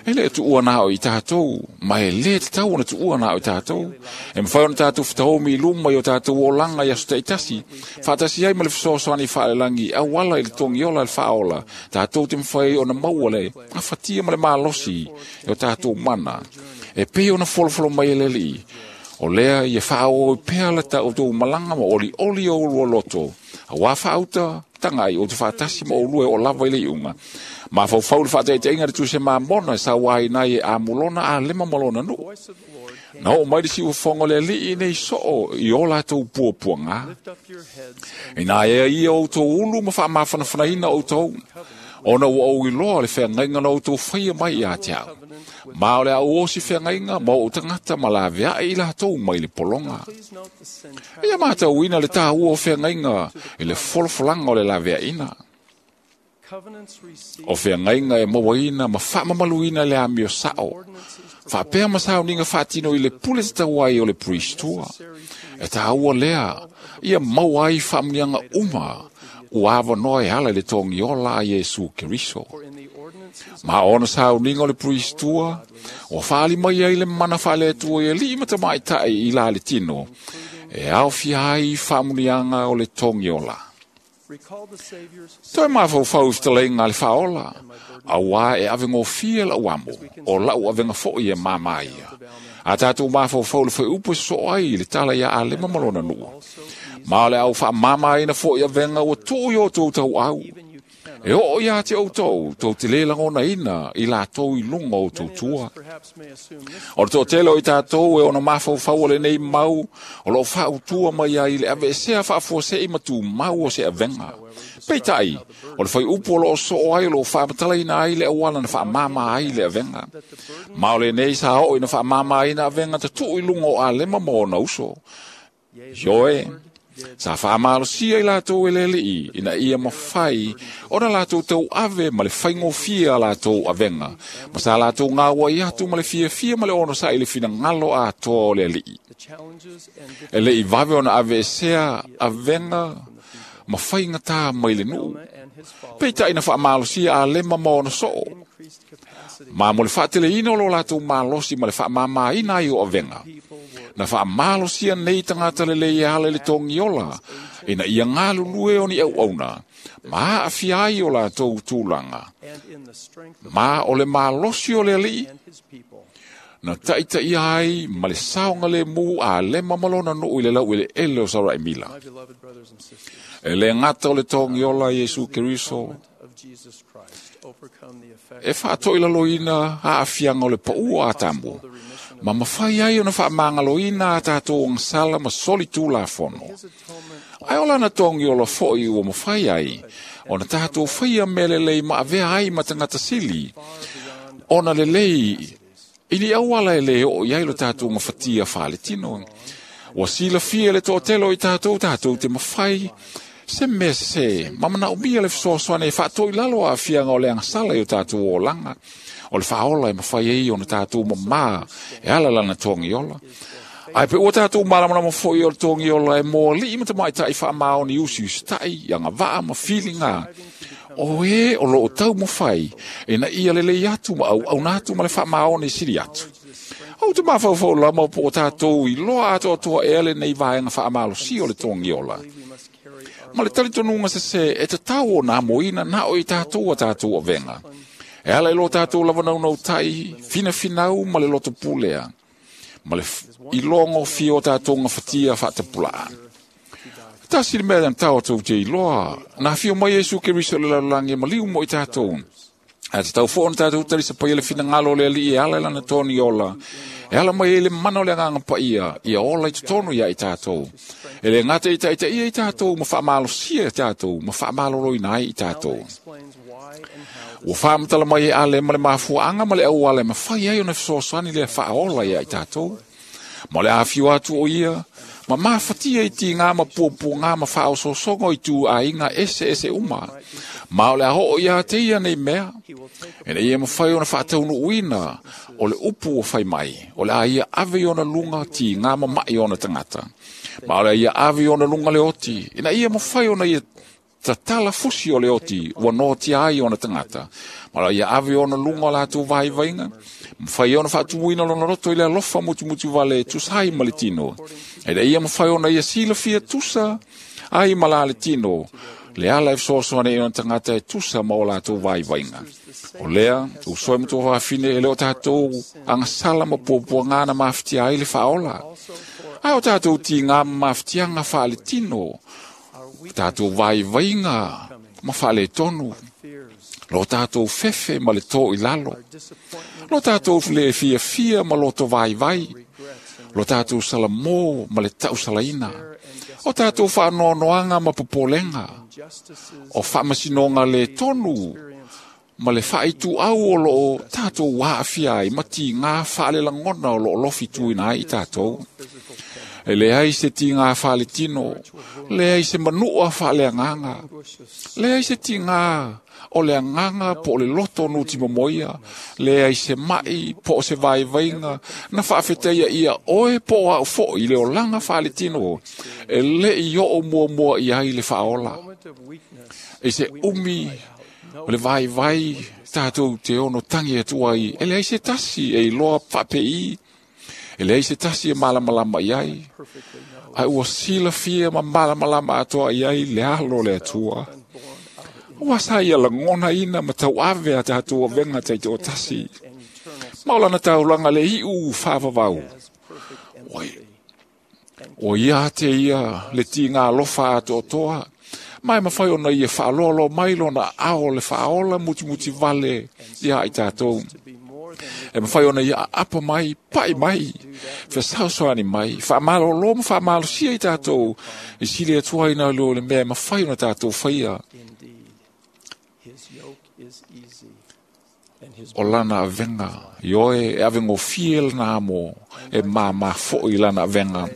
E le tuua nā o i tātou, ma e le te tau ona tuua nā o i tātou. E mwhai ona tātou whatahomi i luma i o tātou o langa i aso teitasi. Whaatasi ai ma le whasoasoani whaalelangi, au ala i le tongiola i le whaola. Tātou te mwhai ona maua le, a whatia ma le mālosi i o tātou mana. E pei ona folofolo mai e leli. O lea i e whaao i pea le ta o tō malanga ma oli oli o ulua loto. A wā whaauta, tanga i o te whaatasi ma o lue o lava i le iunga. Ma whau le whaataiteinga le tuse mā mona e sa wai nai e amulona a lema malona nu. Na o mai le si ufongo le alii nei soo i o lātou puapuanga. I nā ea ia o tō ulu ma wha mawhanawhanaina o tō. Ona ua au iloa le whengainga na o tō whaia mai i a te au. Ma o le au osi whengainga ma o tangata ma la vea i lātou mai le polonga. Ia mātau ina le tāua o whengainga i le folofolanga o le la vea ina. O whengainga e mawaina ma whaamamaluina le amio sao. Whaapea masao ninga whaatino i le pule te tauai o le priestua. E tāua lea, ia mauai whaamunianga uma. Ua noa e ala i le tongiola a Iesu Keriso. Ma ona sao ninga o le priestua, o whaali mai ai le mana whaale atua i e lima tamai tai i la le tino. E au fia ai whaamunianga o le tongiola. Toi mawhau i te le whaola, a wā e awengo fia lau amo, o lau awenga fo i e māmā ia. A tātou mawhau le whai upu so ai le tala ia a lema malona nua. Ma o le au wha māmā ina fo i awenga o tō i o tō tau au. E o ia te o tō, tō te le langona ina i la tō i lunga o tō tua. O le tō tele o i tātou e ona mawhau o le nei mau, o lo whau tua mai ai le ave sea whaafua i matu mau o se avenga. Peitai, o le whai upu o lo o so ai o lo whaamatala ina ai le awala na whaamama ai le avenga. Ma o le nei sa o ina whaamama ai na avenga te tuu i lunga o a lema mo na uso. Ioe, sa whaamalosia i lātou e lele i, ina ia mawhai, ona lātou tau ave ma le whaingofia lātou avenga. Ma sa lātou ngā wai atu ma le fia fia ma le ono sa i le whina ngalo a toa o le alii. E le i wawe ona ave e sea avenga ma whainga tā mai le nuu. Peita ina whaamalosia a lema ma ona soo. Ma mo le whaatele ina o lo lātou malosi ma le whaamama ina i o avenga. Na whaamalosia nei tangata le le ala le tongiola, ina ia ngā lulue o ni au auna, ma a fiai o lātou tūlanga. Ma o le malosi o le alii, na taitai ai ma le saonga le mū a lema malona nuu i le lau i le ele o Sarai Mila. E le ngata o le tongiola Iesu Keriso, e whaatoi laloina a afianga o le paua a tambu. Ma mawhai ai ona whaamangaloina a tātou ang sala ma soli tū la fono. Ai ola na tongi o la foi ua mawhai ai, ona tātou whaia mele lei ma avea ai ma tangata sili. Ona le lei, ili awala e le o iai lo tātou ngawhatia whaale tino. Wa sila fia le tōtelo i tātou tātou te mawhai, se mea se, mamana umia le whasoasoane e whaatoi lalo a fianga o le angsala i o tātou o langa. O le whaola e mawhai ei o na tātou mamā e ala lana tongiola. Ai pe ua tātou malamalama foi o le tongiola e mō li ma te mai tai whaamao ni usi usi tai, anga waa ma whilinga. O e o lo o tau mawhai e na ia lele i atu ma au au nātu ma le whaamao ni siri atu. Au te mawhau lama po o tātou i loa atoa toa e ale nei vaenga whaamalo si o le tongiola. Ma le talitonunga se se e te tau o nā moina nā o i tātou a tātou avenga. E ala i lo tātou lawanau nau tai, whina whinau ma le loto pulea. Ma le i longo fia o tātou ngā whatia whaatapulaa. tasi le mea na tatou te iloa, na afio mai Iesu Keriso i le lalolagi e maliu mo i tatou. Ae tatau foi ona tatou talisapaia le finagalo o le Alii e ala i lana togi ola, e ala mai ai le mana o le Agaga Paia, ia ola i totonu ia i tatou. E le gata i taitaia i tatou ma faamalosia i tatou ma faamaloloina ai i tatou. Ua faamatala mai e Ale ma le mafuaaga ma le auala e mafai ai ona fesoasoani lea faaola ia i tatou. Ma o le afio atu o ia, ma mafatia i tigā ma puapuagā ma faaosoosoga o ituaiga eseese uma. Ma o le a oo ia te ia nei mea, ina ia mafai ona faataunuuina o le upu ua fai mai, o le a ia ave i ona luga tigā ma ma'i o ona tagata. Ma o le a ia ave i ona luga le oti, ina ia mafai ona ia tatala fusi o le oti ua noatia ai ona tagata. Ma o le a ia ave i ona luga o latou vaivaiga, mafai ai ona faatumuina lona loto i le alofa mutimuti vale e tusa ai ma le tino. Ina ia mafai ona ia silafia tusa ai ma la le tino, le ala e fesoasoani ai ona tagata e tusa ma o latou vaivaiga. O lea, uso e ma tuafafine, e le o tatou agasala ma puapuagā na mafatia ai le faaola. Ae o tatou tigā ma mafatiaga faaletino, tatou vaivaiga ma faaletonu, lo tatou fefe ma le tō i lalo, lo tatou le fiafia ma loto vaivai, lo tatou salamō ma le tausalaina, o tatou faanoanoaga ma popolega, o faamasinoga le tonu ma le faaituau o loo tatou aafia ai ma tigā faalelagona o loo lofituina ai i tatou. E leai se tigā faaletino, leai se manua faaleagaga, leai se tigā o le agaga po o le loto nutimomoia, leai se ma'i po o se vaivaiga na faafetaia ia oe po o au foi i le olaga faaletino, e le'i oo muamua i ai le faaola. I se umi o le vaivai tatou te ono tagi atu ai, e leai se tasi e iloa faapei, e leai se tasi e malamalama i ai, ae ua silafia ma malamalama atoa i ai le alo o le Atua. Ua sa ia lagonaina ma tauave a tatou avega taitoatasi. Ma o lana taulaga le iu faavavau. O ia te ia le tigā alofa atoatoa, ma e mafai ona ia faaloaloa mai lona ao le faaola mutimuti vale ia i tatou. E mafai ona ia aapa mai, pa'i mai, fesaosoani mai, faamalolo ma faamalosia i tatou, i sili atu ai nai lo le mea e mafai ona tatou faia. O lana avega, ioe e avegofie lana amo, e māmā foi lana avega.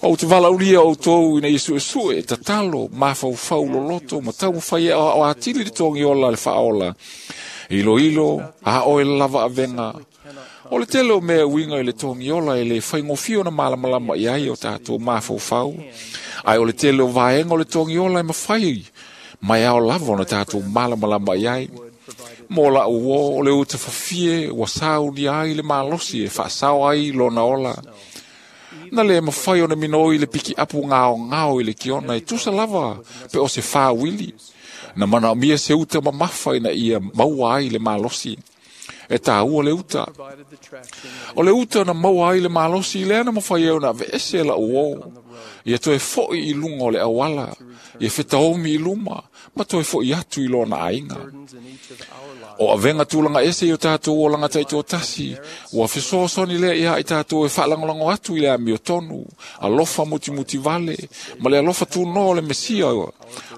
Ou te valaaulia outou ina ia suesue, tatalo, mafaufau loloto, ma taumafai e aoao atili le togi ola le faaola. Iloilo, a oe lava avega. O le tele o mea uiga i le togi ola e le faigofie ona malamalama i ai o tatou mafaufau. Ae o le tele o vaega o le togi ola e mafai mai ao lava ona tatou malamalama i ai. Mo lau uō o le uta fafie ua saunia ai le malosi e faasao ai lona ola. Na le mafai ona minoi le pikiapu gaogao i le kiona e tusa lava pe o se fāuili. Na manaomia se uta mamafa ina ia maua ai le malosi. E tāua le uta. O le uta na maua ai le malosi lea na mafai ai ona aveese lau uō. Ia toe foi i luga o le auala, ia fetaomi i luma, ma toe foi atu i lona aiga. O avega tulaga ese i o tatou olaga taitoatasi, ua fesoasoani lea ia i tatou e faalagolago atu i le amiotonu, alofa mutimuti vale, ma le alofa tunoa o le Mesia.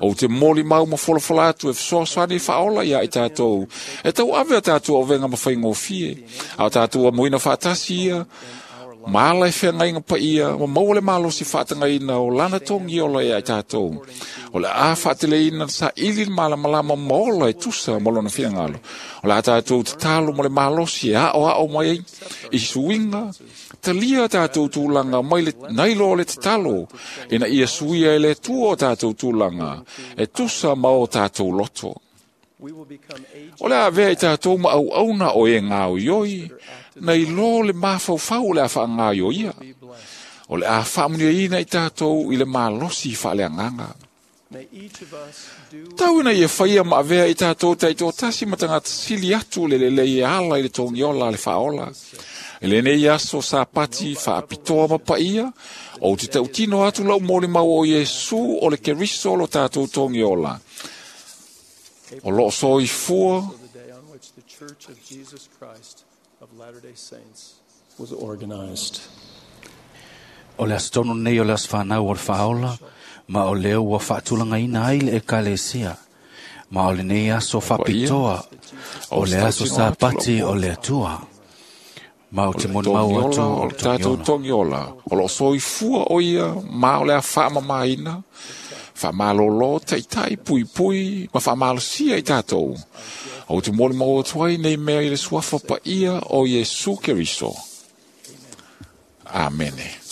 Ou te molimau ma folafola atu e fesoasoani faaola ia i tatou, e tauave a tatou avega ma faigofie, a o tatou amoina faatasi ia, ma ala e feagaiga paia, ma maua le malosi faatagaina o lana togi ola ia i tatou. O le a faateleina saili le malamalama ma ola e tusa ma lona finagalo. O le a tatou tatalo ma le malosi e aoao mai ai i suiga, talia tatou tulaga mai le nai lo o le tatalo, ina ia suia e le Atua o tatou tulaga e tusa ma o tatou loto. O le a avea i tatou ma auauna o e gaoioi, nai lo le mafaufau o le a faagaoioia. O le a faamuniaina i tatou i le malosi faaleagaga. Tau ina ia whaia ma avea i tātou taitoatasi ma tagata sili atu le lelei e ala i le togiola a le faaola. E lenei aso Sapati faapitoa ma paia, ou te tautino atu lau molimau o Iesu o le Keriso lo tātou togiola. O loo soifua the day on which the Church of Jesus Christ of Latter-day Saints was organized. O le aso tonu nei o le aso whanau o le whaola, ma o leo ua whaatulanga ai le ekalesia. Ma o lenei aso whapitoa, o le aso Sapati o le Atua. Ma o te molimau atu o o le tātou togiola. O loo soifua o ia ma o le a whaamamaina, whaamalolo, taitai, pui pui, ma whaamalosia i tātou. O te molimau atu ai nei mea i le suafa paia o Iesu Keriso. Amene.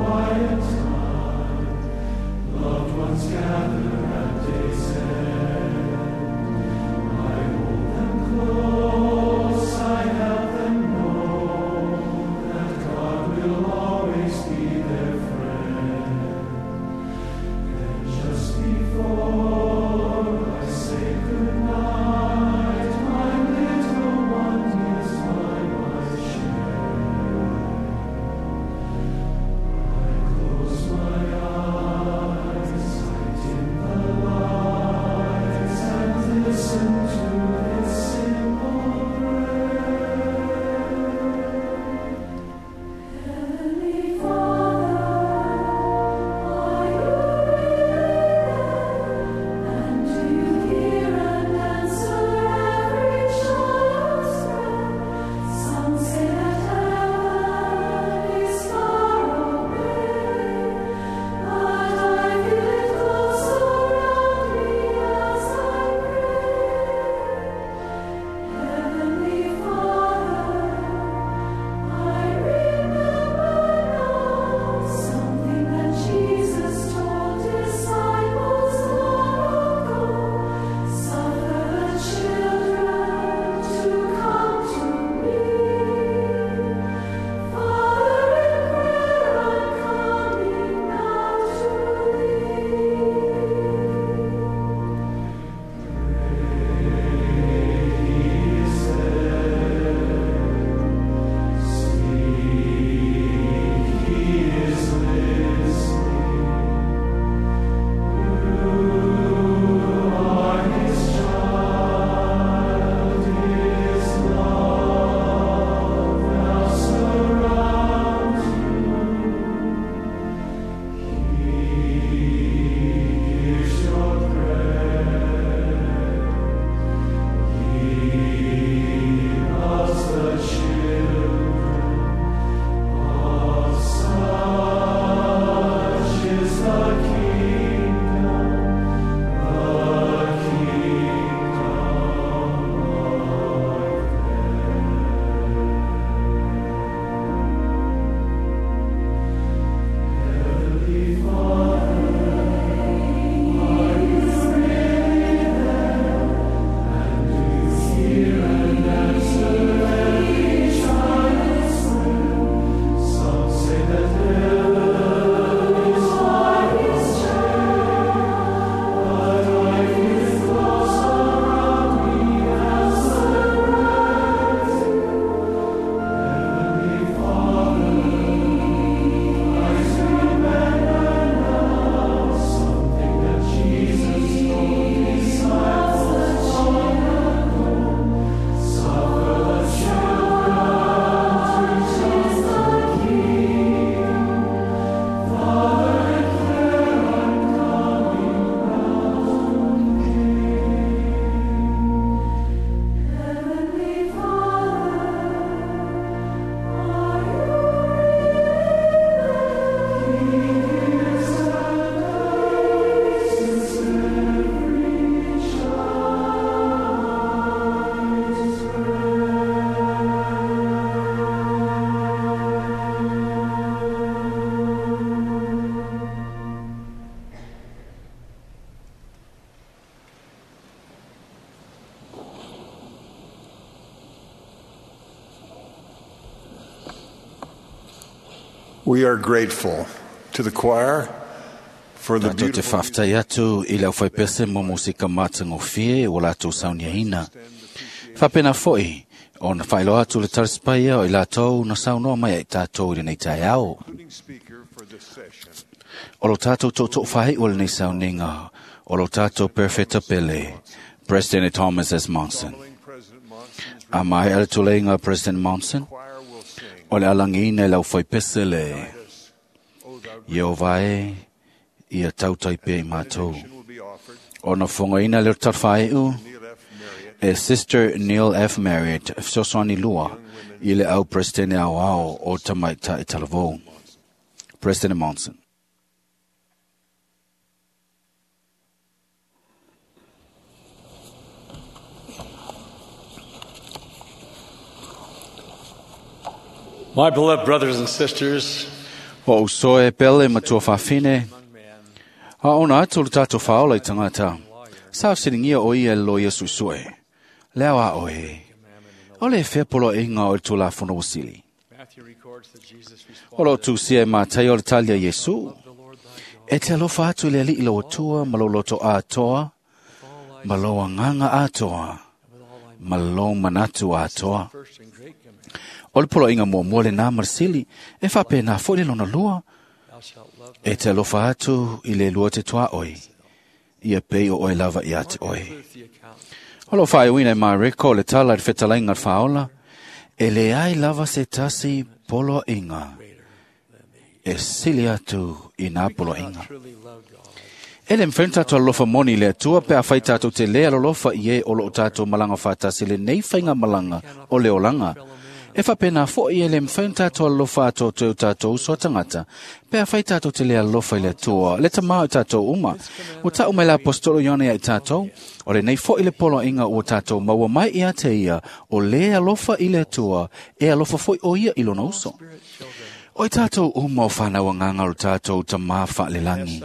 Quiet time, loved ones gather at day's end. I hold them close. We are grateful to the choir for the Tātou te beautiful whaftai atu i le auwhaipese mo musika mātangofie o lātou sauniaina. Whapena foi, o na whailoa atu le tarispaia o i lātou na saunoa mai ai tātou i lenei tai ao. speaker for this session. O lo tātou tōtō whai o lenei sauninga, o lo tātou perfecta pele, President Thomas S. Monson. A mai ala tuleiga President Monson, o le alangina i lau whaipese le, Iova e, ia tautai pe i mātou. O na whangaina le tarwhaiu, e Sister Neil F. Marriott, fesoasoani lua, i le au President au ao o tamaita i talavou. President Monson. My beloved brothers and sisters, O usoe pele matua whawhine, a ona atu le tātou whaola i tangata. Sa siringia o ia lo ia suisue. Leo a oe. O le whepolo e ngā o le tūlafono wasili. Matthew records that Jesus O lo tūsia e mātai o le talia Yesu. E te alofa atu le alii lo atua, ma lo loto atoa, ma lo anganga atoa, ma lo manatu atoa. first and great command, O le polo inga mua mua le nā marsili, e whape nā fo le lona lua, thou shalt love e te alofa atu i le lua te toa oi, ia pei o oe lava i ate oe. the account. O lo whai uina i mā reko le tala i whetalainga whaola, e le ai lava se tasi polo inga, e sili atu i nā polo inga. Truly love God. E le mwhen tātou alofa moni le atua pe a whai tātou te lea alofa i e o lo tātou malanga whātasi le nei whainga malanga o le olanga. E whapena fo i e le mwhen tātou alofa ato te o tātou uso tangata. Pe a whai tātou te lea alofa i le atua, le tamā o tātou uma. O tāu mai la apostolo ione ai tātou, o le nei fo i le polo inga o tātou maua mai i a te ia, o le alofa i le atua, e alofa foi o ia i lona uso. O i tātou uma o whanau anganga o tātou ta mā whaalelangi.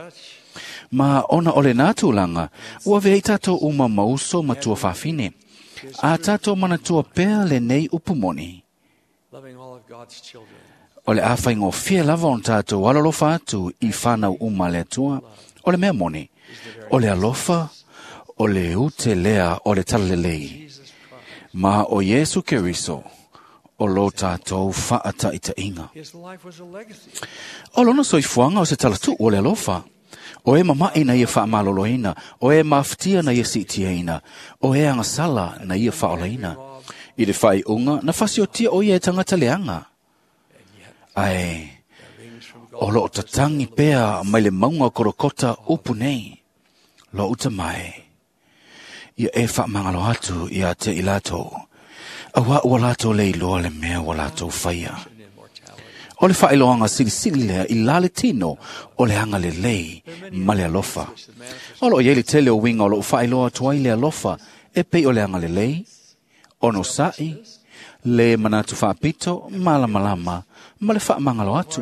Ma ona ole nā tūlanga, ua vei tātou uma mauso matua whawhine. A tātou manatua pea le nei upumoni. Loving all of God's children. O le awhai ngō fia lava on tātou alalofa atu i whanau uma le atua, o le mea moni, o le alofa, o le ute lea o le talalelei. Ma o Yesu Keriso, o lo tātou whaataitainga. His life was a legacy. O lona soifuanga o se talatu o le alofa. O e mama'i na ia whaamaloloina, o e mawhitia na ia sitiaina, o e angasala na ia whaolaina. I le whai unga, na whasiotia o ia e tangata leanga. Ai, o lo tatangi pea mai le maunga korokota upu nei. Lo uta mai. Ia e whaamangalo atu ia te i lātou. Awa ua lātou le iloa le mea ua lātou whaia. O le whaeloanga silisili lea i lale tino o le anga le lei ma le alofa. O lo iei le tele o winga o lo whaeloa tuai le alofa e pei o le anga le lei, ono sa'i, le manatu whaapito, malamalama, ma le whaamangalo atu.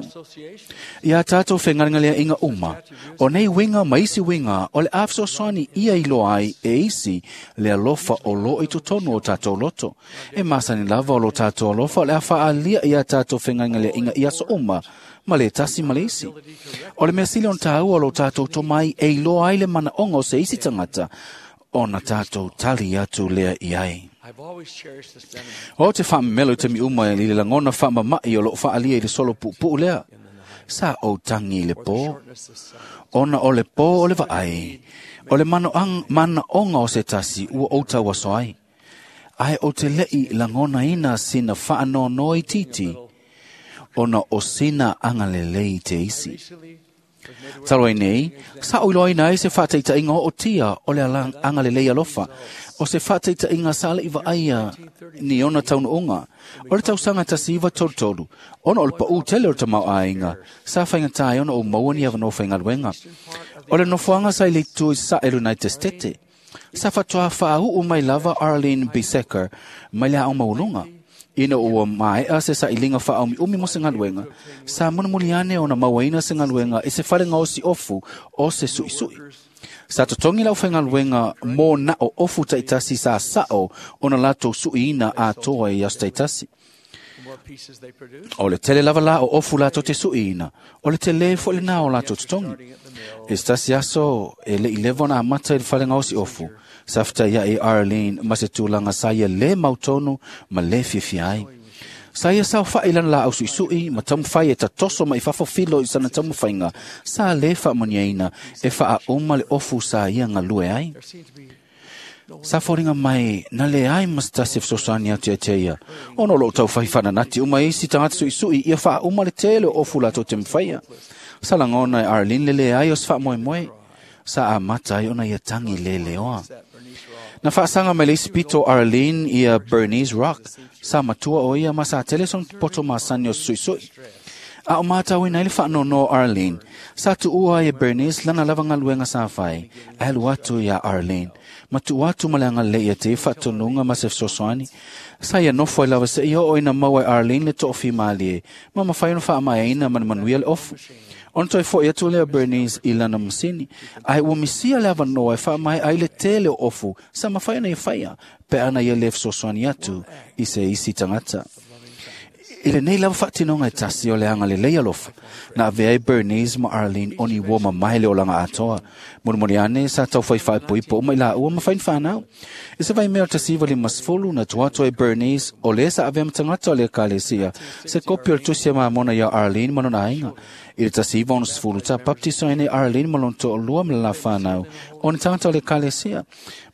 Ia tātou whengaringalea inga uma, o nei winga ma isi winga o le awhsosoani ia i loa ai e isi le alofa o lo i totonu o tātou loto. E masani lava o lo tātou alofa o le awhaalia ia tātou whengaringalea inga i aso uma, ma le tasi ma le isi. O le mea sili on tāua o lo tātou tomai e i loa ai le mana onga o se isi tangata, o na tātou tali atu lea i ai. I've always cherished the sentiment O te whaamelo te mi uma i le langona whaamama'i o lo whaalia i le solo pupu lea. Sa o tangi i le pō. Ona o le pō o le vaai. O le mano ang, mana onga o se tasi ua o tau aso ai. Ai o te lei langona ina sina whaanono i titi. Ona o sina angalelei te isi. Talo ai nei, sa o iloa ina e se whāteita inga o tia o le angalelei alofa, o se whāteita inga sa le iwa aia ni ona taunu unga, o le tausanga tasi iwa tolu tolu, ona o le pa u tele o le tamau ainga, sa whainga tai ona o maua ni awa no whainga O le nofoanga sa i le tui sa e United States, sa whatoa whaau mai lava Arlene Bisecker mai le au maulunga. Ina ua maea se sa ilinga wha umi mo se ngaluenga, sa munamuliane ona mauaina se ngaluenga e se whare ngao si ofu o se sui sui. Sa totongi lau whaingaluenga mō na o ofu taitasi sa sao ona lato suiina a toa i aso taitasi. O le tele lava la o ofu latou te suiina, o le tele fo'i lenā o latou totogi. E se tasi aso e le'i leva ona amata i le fale gaosi ofu, sa fetaia'i Arlene ma se tulaga sa ia lē mautonu ma lē fiafia ai. Sa ia saofa'i i lana laau su'isu'i ma taumafai e tatoso mai fafo filo i sana taumafaiga sa lē faamanuiaina e faaauma le ofu sa ia galue ai. Sa foliga mai na leai ma se tasi e fesoasoani atu ia te ia, ona o loo taufai faananati uma isi tagata suʻisuʻi ia faauma le tele o ofu latou te mafaia. Sa lagona e Arlene le leai o se faamoemoe, sa amata ai ona ia tagi leleoa. Na faasaga mai le isi pito Arlene ia Bernice Rock, sa matua o ia ma sa tele sona poto masani o se suʻisuʻi. A o matauina ai le faanoanoa o Arlene, sa tuua ai e Bernice lana lava galuega sa fai, ae alu atu iā Arlene, ma tuu atu ma le agalelei ia te ia faatonuga ma se fesoasoani. Sa ia nofo ai lava seia oo ina maua e Arlene le toʻafimalie, ma mafai ona faamaeaina ma le manuia le ofu. Ona toe foʻi atu lea Bernice i lana masini, ae ua misia le avanoa e faamaea ai le tele o ofu sa mafai ona ia faia, pe ana ia lē fesoasoani atu i se isi tagata. I lenei lava faatinoga e tasi o le agalelei alofa, na avea ai Bernice ma Arlene o ni uo mamae le olaga atoa. Molimoli ane sa taufai faaipoipo uma i laua ma fai ni fanau. I se vaimea o le 1950 na tua atu ai Bernice o lē sa avea ma tagata o le ekalesia se kopi o le tusi a Mamona iā Arlene ma lona aiga. I le 1960 sa baptisoina e Arlene ma lona toʻalua ma le la fanau o ni tagata o le ekalesia.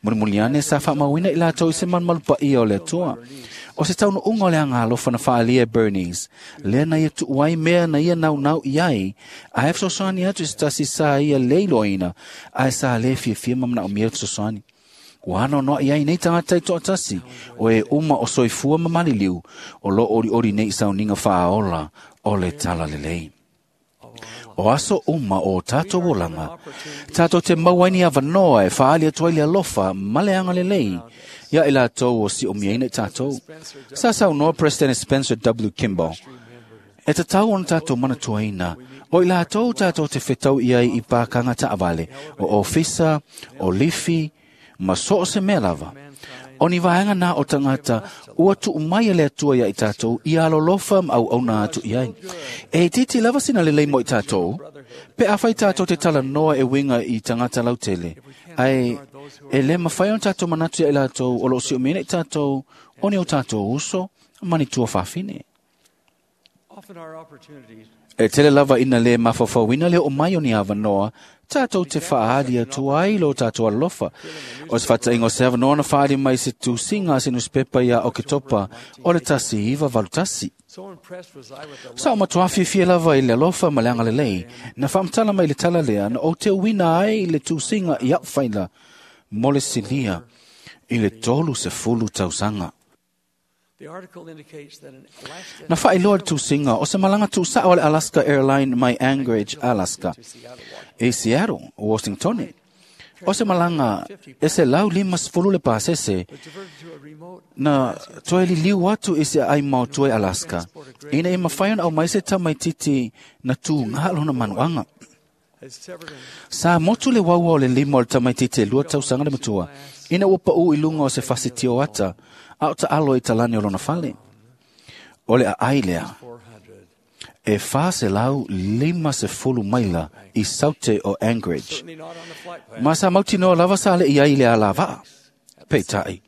Mulimuli ane sa faamauina i latou i se malumalu paia o le Atua. O se taunuuga o le agalofa na faaalia e Bernice, lea na ia tuu ai mea na ia naunau i ai, ae fesoasoani atu i se tasi sa ia lē iloaina, ae sa lē fiafia ma manaomia le fesoasoani. Ua anoanoaʻi ai nei tagata i toʻatasi, o e uma o soifua ma maliliu, o loo olioli nei i sauniga faaola o le talalelei. O aso uma o tatou olaga, tatou te maua ai ni avanoa e faaali atu ai le alofa ma le agalelei ia i latou o siʻomiaina i tatou. Sa saunoa President Spencer W. Kimball, e tatau ona tatou manatuaina, o i latou tatou te fetau i ai i pākaga taavale, o ofisa, o lifi, ma so o se mea lava. O ni vaega na o tagata ua tuu mai e le Atua ia i tatou ia alolofa ma auauna atu i ai. E itiiti lava sina lelei mo i tatou, pe afai tatou te talanoa e uiga i tagata lautele, ae e lē mafai ona tatou manatu ia i latou o loo siumiaina i tatou o ni o tatou uso ma ni tuafafine. E tele lava ina lē mafaufauina le oo mai o ni avanoa tatou te faaali atu ai lo tatou alolofa. O se faataʻiga o se avanoa na faaali mai se tusiga a se nusipepa iā Oketopa o le 1981. Sa o matuā fiafia lava i le alofa ma le agalelei na faamatala mai le tala lea na ou teuina ai le tusiga i aʻu faila mo le silia i le 30 tausaga. Na faailoa le tusiga o se malaga tuusaʻo a le Alaska Airline mai Anchorage, Alaska, i Seattle, Washingtone. O se malaga e 150 le pasese na toe liliu atu i se aai maotua i Alaska, ina ia mafai ona aumai se tamaititi na tugā lona manuaga. Sa motu le uaua o le lima o le tamaititi e 2 tausaga le matua, ina ua paʻū i luga o se fasi tioata, a o taʻalo i talani o lona fale. O le aai lea, e 450 maila i saute o Anchorage. Ma sa mautinoa lava sa leʻi ai i le alavaʻa. Peitai,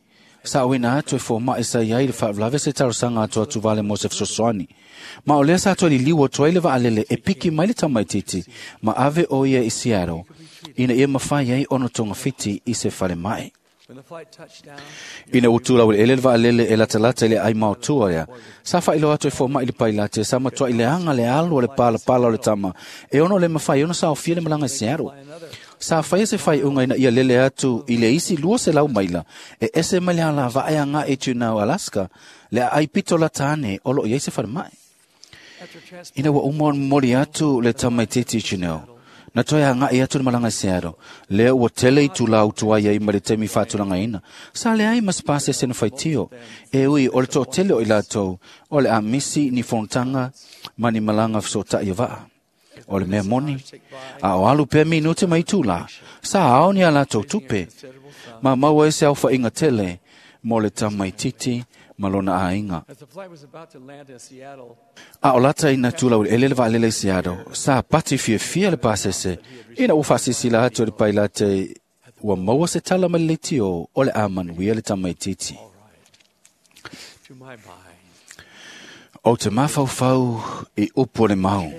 sa auina atu e fomaʻi sa iai le faalavelave se talosaga atu atuvale mo se fesoasoani. Ma o lea sa toe liliu atu ai le vaalele e piki mai le tamaititi ma ave o ia i Seattle, ina ia mafai ai ona togafiti i se falemaʻi. Ina ua tulau eleele le vaalele e latalata i le aai maotua lea, sa faailoa atu e fomaʻi le pailate sa matuaʻi leaga le alu o le palapala o le tama e ono le mafai ona saofia le malaga i Seattle. Sa faia se faaiuga ina ia lele atu i le isi 200 maila e ese mai le alavaa e agaʻi i Juneau, Alaska, le aai pito lata ane o loo i ai se falemaʻi. Ina ua uma ona momoli atu le tamaititi i Juneau, na toe agaʻi atu le malaga i Seattle, lea ua tele itulā utuai ai ma le taimi faatulagaina. Sa leai ma se pasese na faitio, e ui o le toʻatele o i latou o le a misi ni fonotaga ma ni malaga fesootaʻi o vaa. O le mea moni, a o alu pea minute ma itulā, sa ao ni a latou tupe, ma maua ai se aofaʻiga tele mo le tamaititi ma lona aiga. A o lata ina tulau ele le vaalele i Seattle, sa pati fiafia le pasese, ina ua faasilasila atu e le pailate ua maua se tala mai le leitio o le a manuia le tamaititi. Ou te mafaufau i upu o le mau,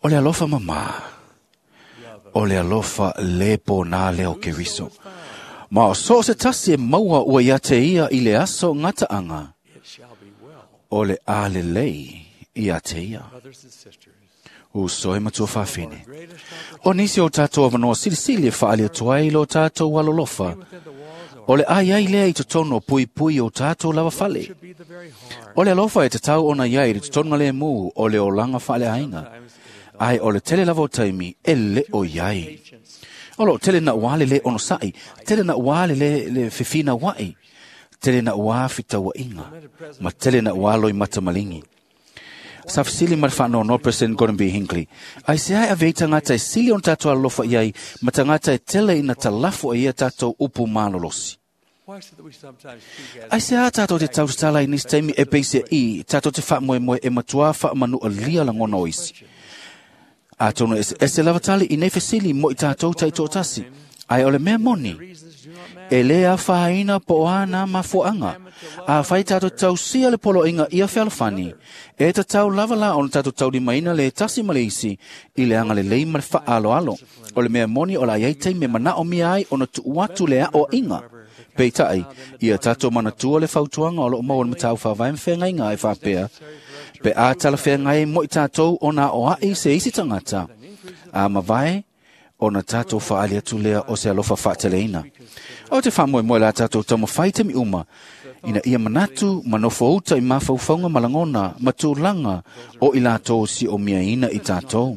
o le alofa mamā, o le alofa le pōnā lea o Keriso. Ma o so o se tasi e maua ua ia te ia i le aso gataaga, o le a lelei ia te ia. Uso e matua faafine. O nisi o tātou avanoa silisili e faali atu ai lo tātou alolofa, o le ai ai lea i totonu o puipui o tātou lava fale. O le alofa e tatau ona iai i le totonu le mu o le olaga faaleaiga. Ai o le tele lava o taimi e le o iai. O loo tele na ua le le onosai, tele na ua le le fifina wai, tele na ua fitauainga, ma tele na ua loi matamalingi. Sa fesili ma le faanoanoa President Gordon B. Hinckley, ai se ai ave i tagata e sili ona tatou alolofa i ai ma tagata e tele ina talafo e ia tatou upu malolosi. Ai se a tātou te tautatala i nisi taimi e peise i tātou te faamoemoe e matua faamanualia lagona o isi. Atonu eseese lava tali i nei fesili mo i tātou taitoatasi. Ai o le mea moni, e le afaina po o a nā mafuaaga. Afai tātou tausia le poloaiga ia fealofani, e tatau lava la ona tātou taulimaina le tasi ma le isi i le agalelei ma le faaaloalo. O le mea moni o le a iai taimi e manaomia ai ona tuu atu le aoaiga. Peitai, ia tātou manatua le fautuaga o loo maua le mataupu faavae ma feagaiga e faapea, pe a talafeagai mo i tātou ona aoai se isi tagata, a mavae ona tātou faali atu lea o se alofa faateleina. O te faamoemoe la tātou taumafai taimi uma, ina ia manatu ma nofouta i mafaufauga ma lagona ma tulaga o i latou siomiaina i tātou.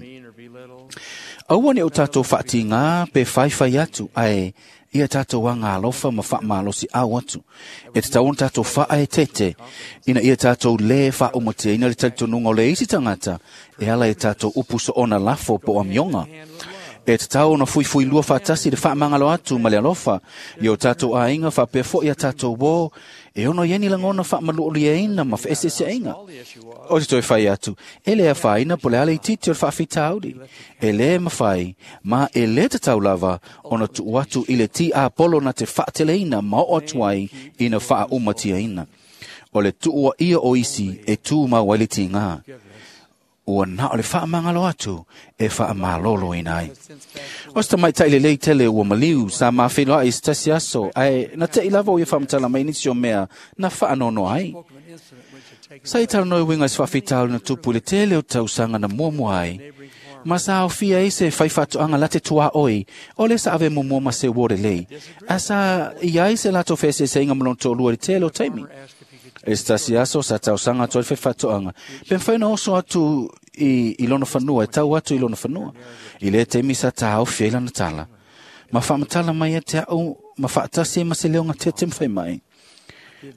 Aua ne o tātou faatigā pe faifai atu, ae ia tātou aga alofa ma faamalosi au atu. E tatau ona tātou faaeteete, ina ia tātou lē faaumatiaina le talitonuga o le isi tagata, e ala i tātou upu soona lafo po o amioga. E tatau ona fuifuilua faatasi le faamagalo atu ma le alofa i o tātou aiga faapea fo'i a tātou uō, e ono i ai ni lagona faamaluoliaina ma feeseeseaiga. O te toe fai atu, e le afaina po o le a le itiiti o le faafitauli. E lē mafai, ma e lē tatau lava ona tuu atu i le tiapolo na te faateleina ma oo atu ai ina faaumatiaina. O le tuuaia o isi e tumau ai le tigā. Ua na o le faamagalo atu e faamaloloina ai. O se tamaitai lelei tele ua maliu sa mafeiloai i se tasi aso, ae na te'i lava o ia faamatala mai nisi o mea na faanoanoa ai. Sa i talanoa e uiga i se faafitauli na tupu i le tele o tausaga na muamua ai, ma sa aofia ai se faifaatoaga la te tuaoi o lea sa ave muamua ma se uo lelei, ae sa i ai se latou feeseeseaiga ma lona toalua i le tele o taimi. E se tasi aso sa tausaga atu ai le faifaatoaga, pe mafai ona oso atu i lona fanua, e tau atu i lona fanua. I lea taimi sa taofi ai lana tala, ma faamatala mai ia te au ma faatasi ai ma se leo gatete ma fai mai.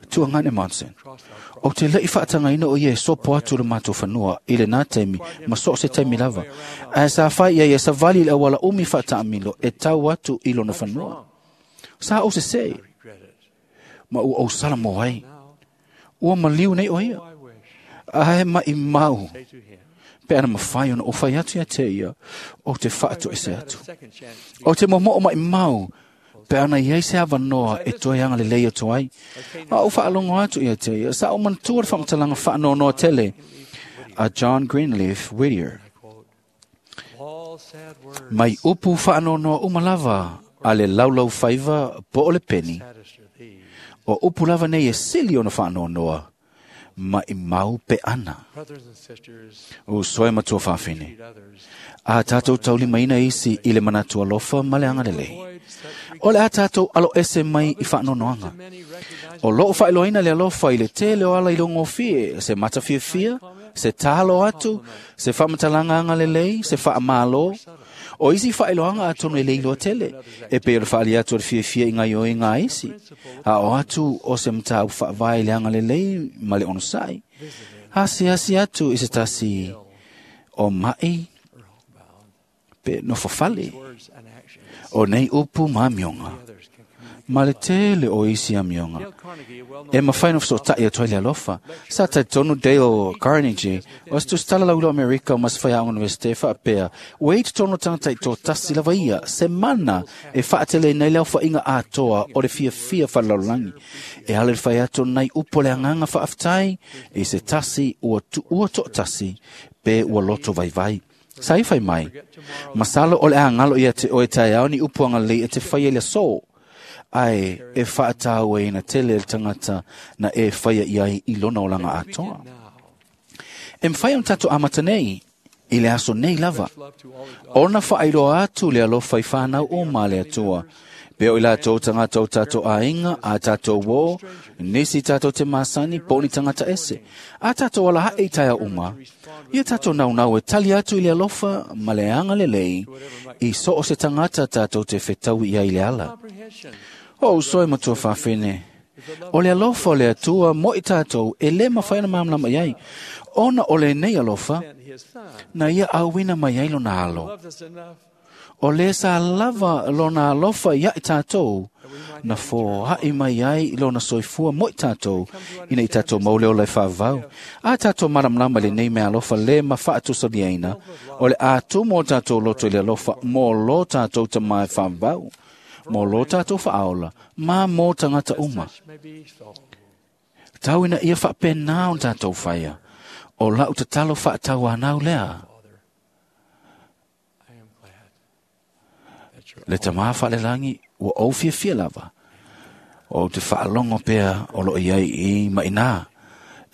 Tuagane Monson, o te lei faatagaina o ia e sopo atu le matou fanua i lenā taimi ma so o se taimi lava. Ae sa fai ia ia savali i le auala umi faataamilo e tau atu i lona fanua. Sa ou sesē, ma ua ou sala mo ai. Ua maliu nei o ia. Ae maimau, pe ana mafai ona ou fai atu ia te ia, o te faatoese atu. O te momoo maimau, pe ana iai se avanoa e toe agalelei atu ai. A ou faalogo atu ia te ia, sa ou manatua le faamatalaga faanoanoa tele a John Greenleaf Whittier. Mai upu faanoanoa uma lava a le laulaufaiva po o le peni, o upu lava nei e sili ona faanoanoa, maimau pe ana. Uso e matua faafine, a tātou taulimaina isi i le manatu alofa ma le agalelei. O le a tātou aloese mai i faanoanoaga. O loo faailoaina le alofa i le tele o ala i logofie, se matafiafia, se talo atu, se faamatalaga agalelei, se faamalo. O isi faailoaga atonu e le iloa tele, e pei o le faali atu o le fiafia i gaioiga a isi, a o atu o se mataupu faavae i le agalelei ma le onosai. Asiasi atu i se tasi o mai pe nofofale. O nei upu ma amioga, Ma le tele o isi amioga. E mafai ona feso'ota'i atu ai le alofa. Sa talitonu Dale Carnegie, o se tusitala lauilo Amerika ma se faiaoga Universite fa'apea, ua i totonu o tagata i'tōtasi lava ia, se mana e fa'ateleina ai le aofa'iga atoa o le fiafia fa'alelalolagi. E ala i le fai atu o nai upu o le agaga fa'afetai, i se tasi ua tu'ua to'atasi, pe ua loto vaivai. Sa i fai mai, masalo o le agalo ia te oe taeao ni upu agalelei e te faia i le asō, ae e fa'atāuaina tele le tagata na e faia i ai i lona olaga atoa. E mafai ona tatou amata nei, i le aso nei lava, ona fa'ailoa atu le alofa i whānau o ma le Atua. Pe o i latou tagata o tātou aiga, a tātou ō, nisi tātou te masani, po o ni tagata ese. A tātou alahaʻi i taeao uma, ia tātou naunau e tali atu i le alofa ma le agalelei i so o se tagata tātou te fetaui i ai i le ala. O uso e matua faafine, o le alofa o le Atua mo i tātou e lē mafai ona malamalama i ai, ona o lenei alofa, na ia auina mai ai lona alo. O le sa lava lona alofa ia i tātou, na foa'i mai ai lona soifua mo i tātou, ina i tātou maule ola e fa'avavau. A tātou malamalama i lenei mea alofa lē ma fa'atusaliaina, o le atumu o tātou loto i le alofa mo lo tātou tamā e fa'avavau, mo lo tātou fa'aola, ma mo tagata uma. Tau ina ia fa'apēnā ona tātou faia, o la'u tatalo fa'atauanau lea. Le tamā fa'alelagi ua ou fiafia lava, o te fa'alogo pea o lo'o i ai i ma'inā,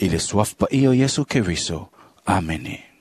i le suafa paia o Iesu Keriso. Amene.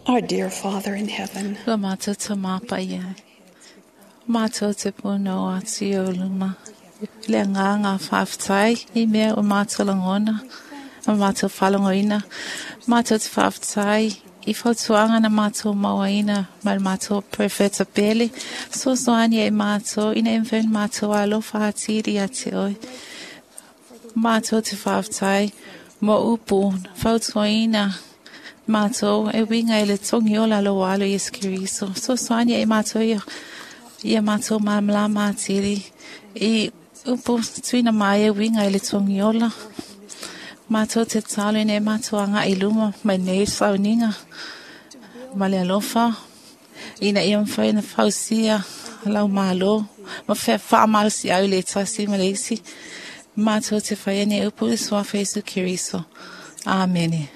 Our dear Father in heaven, Lo mātou te māpa ia. Mātou te puno atu i o luma. Le ngā ngā whāwhtai i mea o mātou langona, o mātou whalongoina. Mātou te whāwhtai i whautuanga na mātou mauaina mai mātou profeta pele. So soani e mātou, ina e mwhen mātou alofa atiri a te oi. Mātou te whāwhtai mo upu, whautuaina mātou e winga e le tongi o lalo alo Yesu Keriso. So soani e mātou ia, ia mātou māmlama atiri. I upu tuina mai e winga e le tongi ola. Mātou te talo ine mātou anga i luma mai nei sauninga. Ma le alofa. Ina ia mwhai na fausia lau malo. Ma whea whaamalo si au le tasi ma le isi. Mātou te whai ane upu i suafa Yesu Keriso. Amene.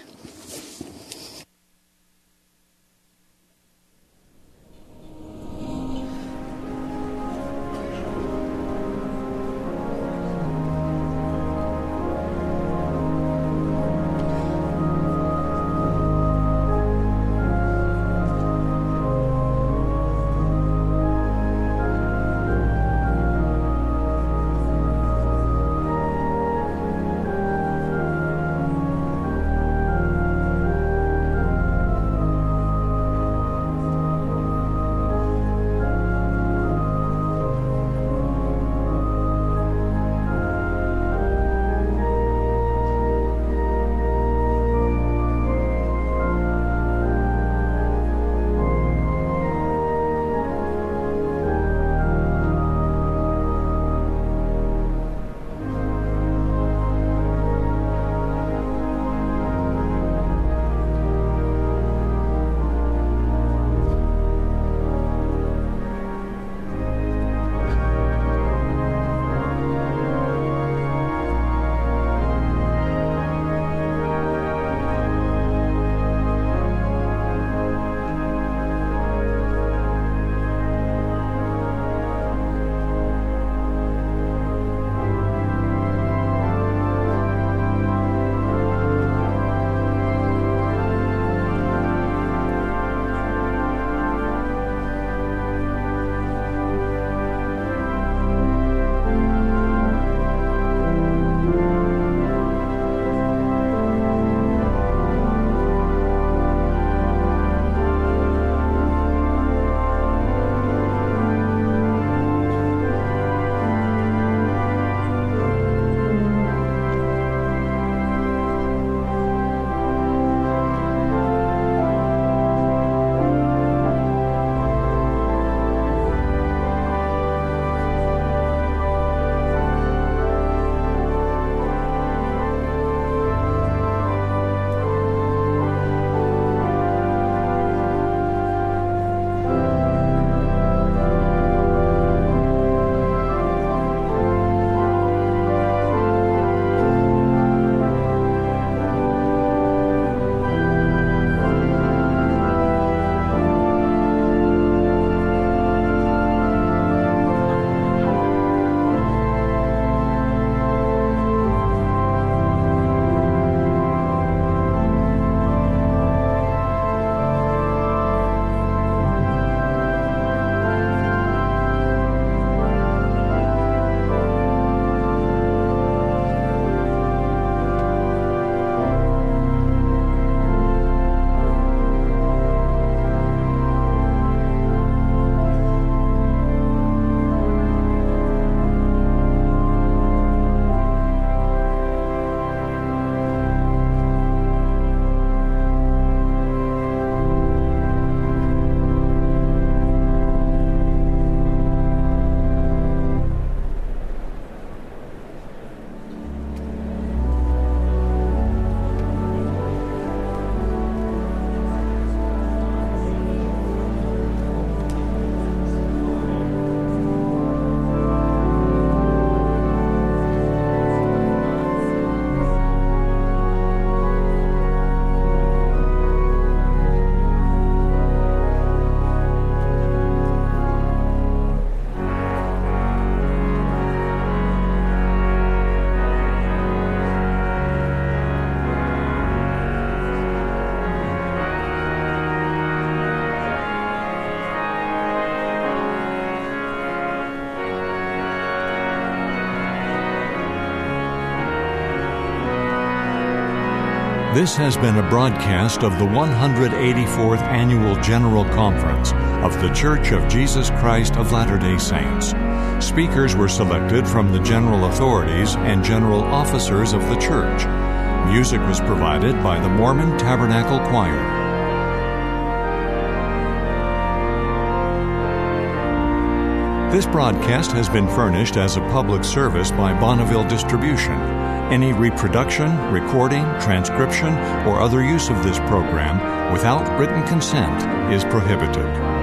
This has been a broadcast of the 184th Annual General Conference of The Church of Jesus Christ of Latter day Saints. Speakers were selected from the general authorities and general officers of the church. Music was provided by the Mormon Tabernacle Choir. This broadcast has been furnished as a public service by Bonneville Distribution. Any reproduction, recording, transcription, or other use of this program without written consent is prohibited.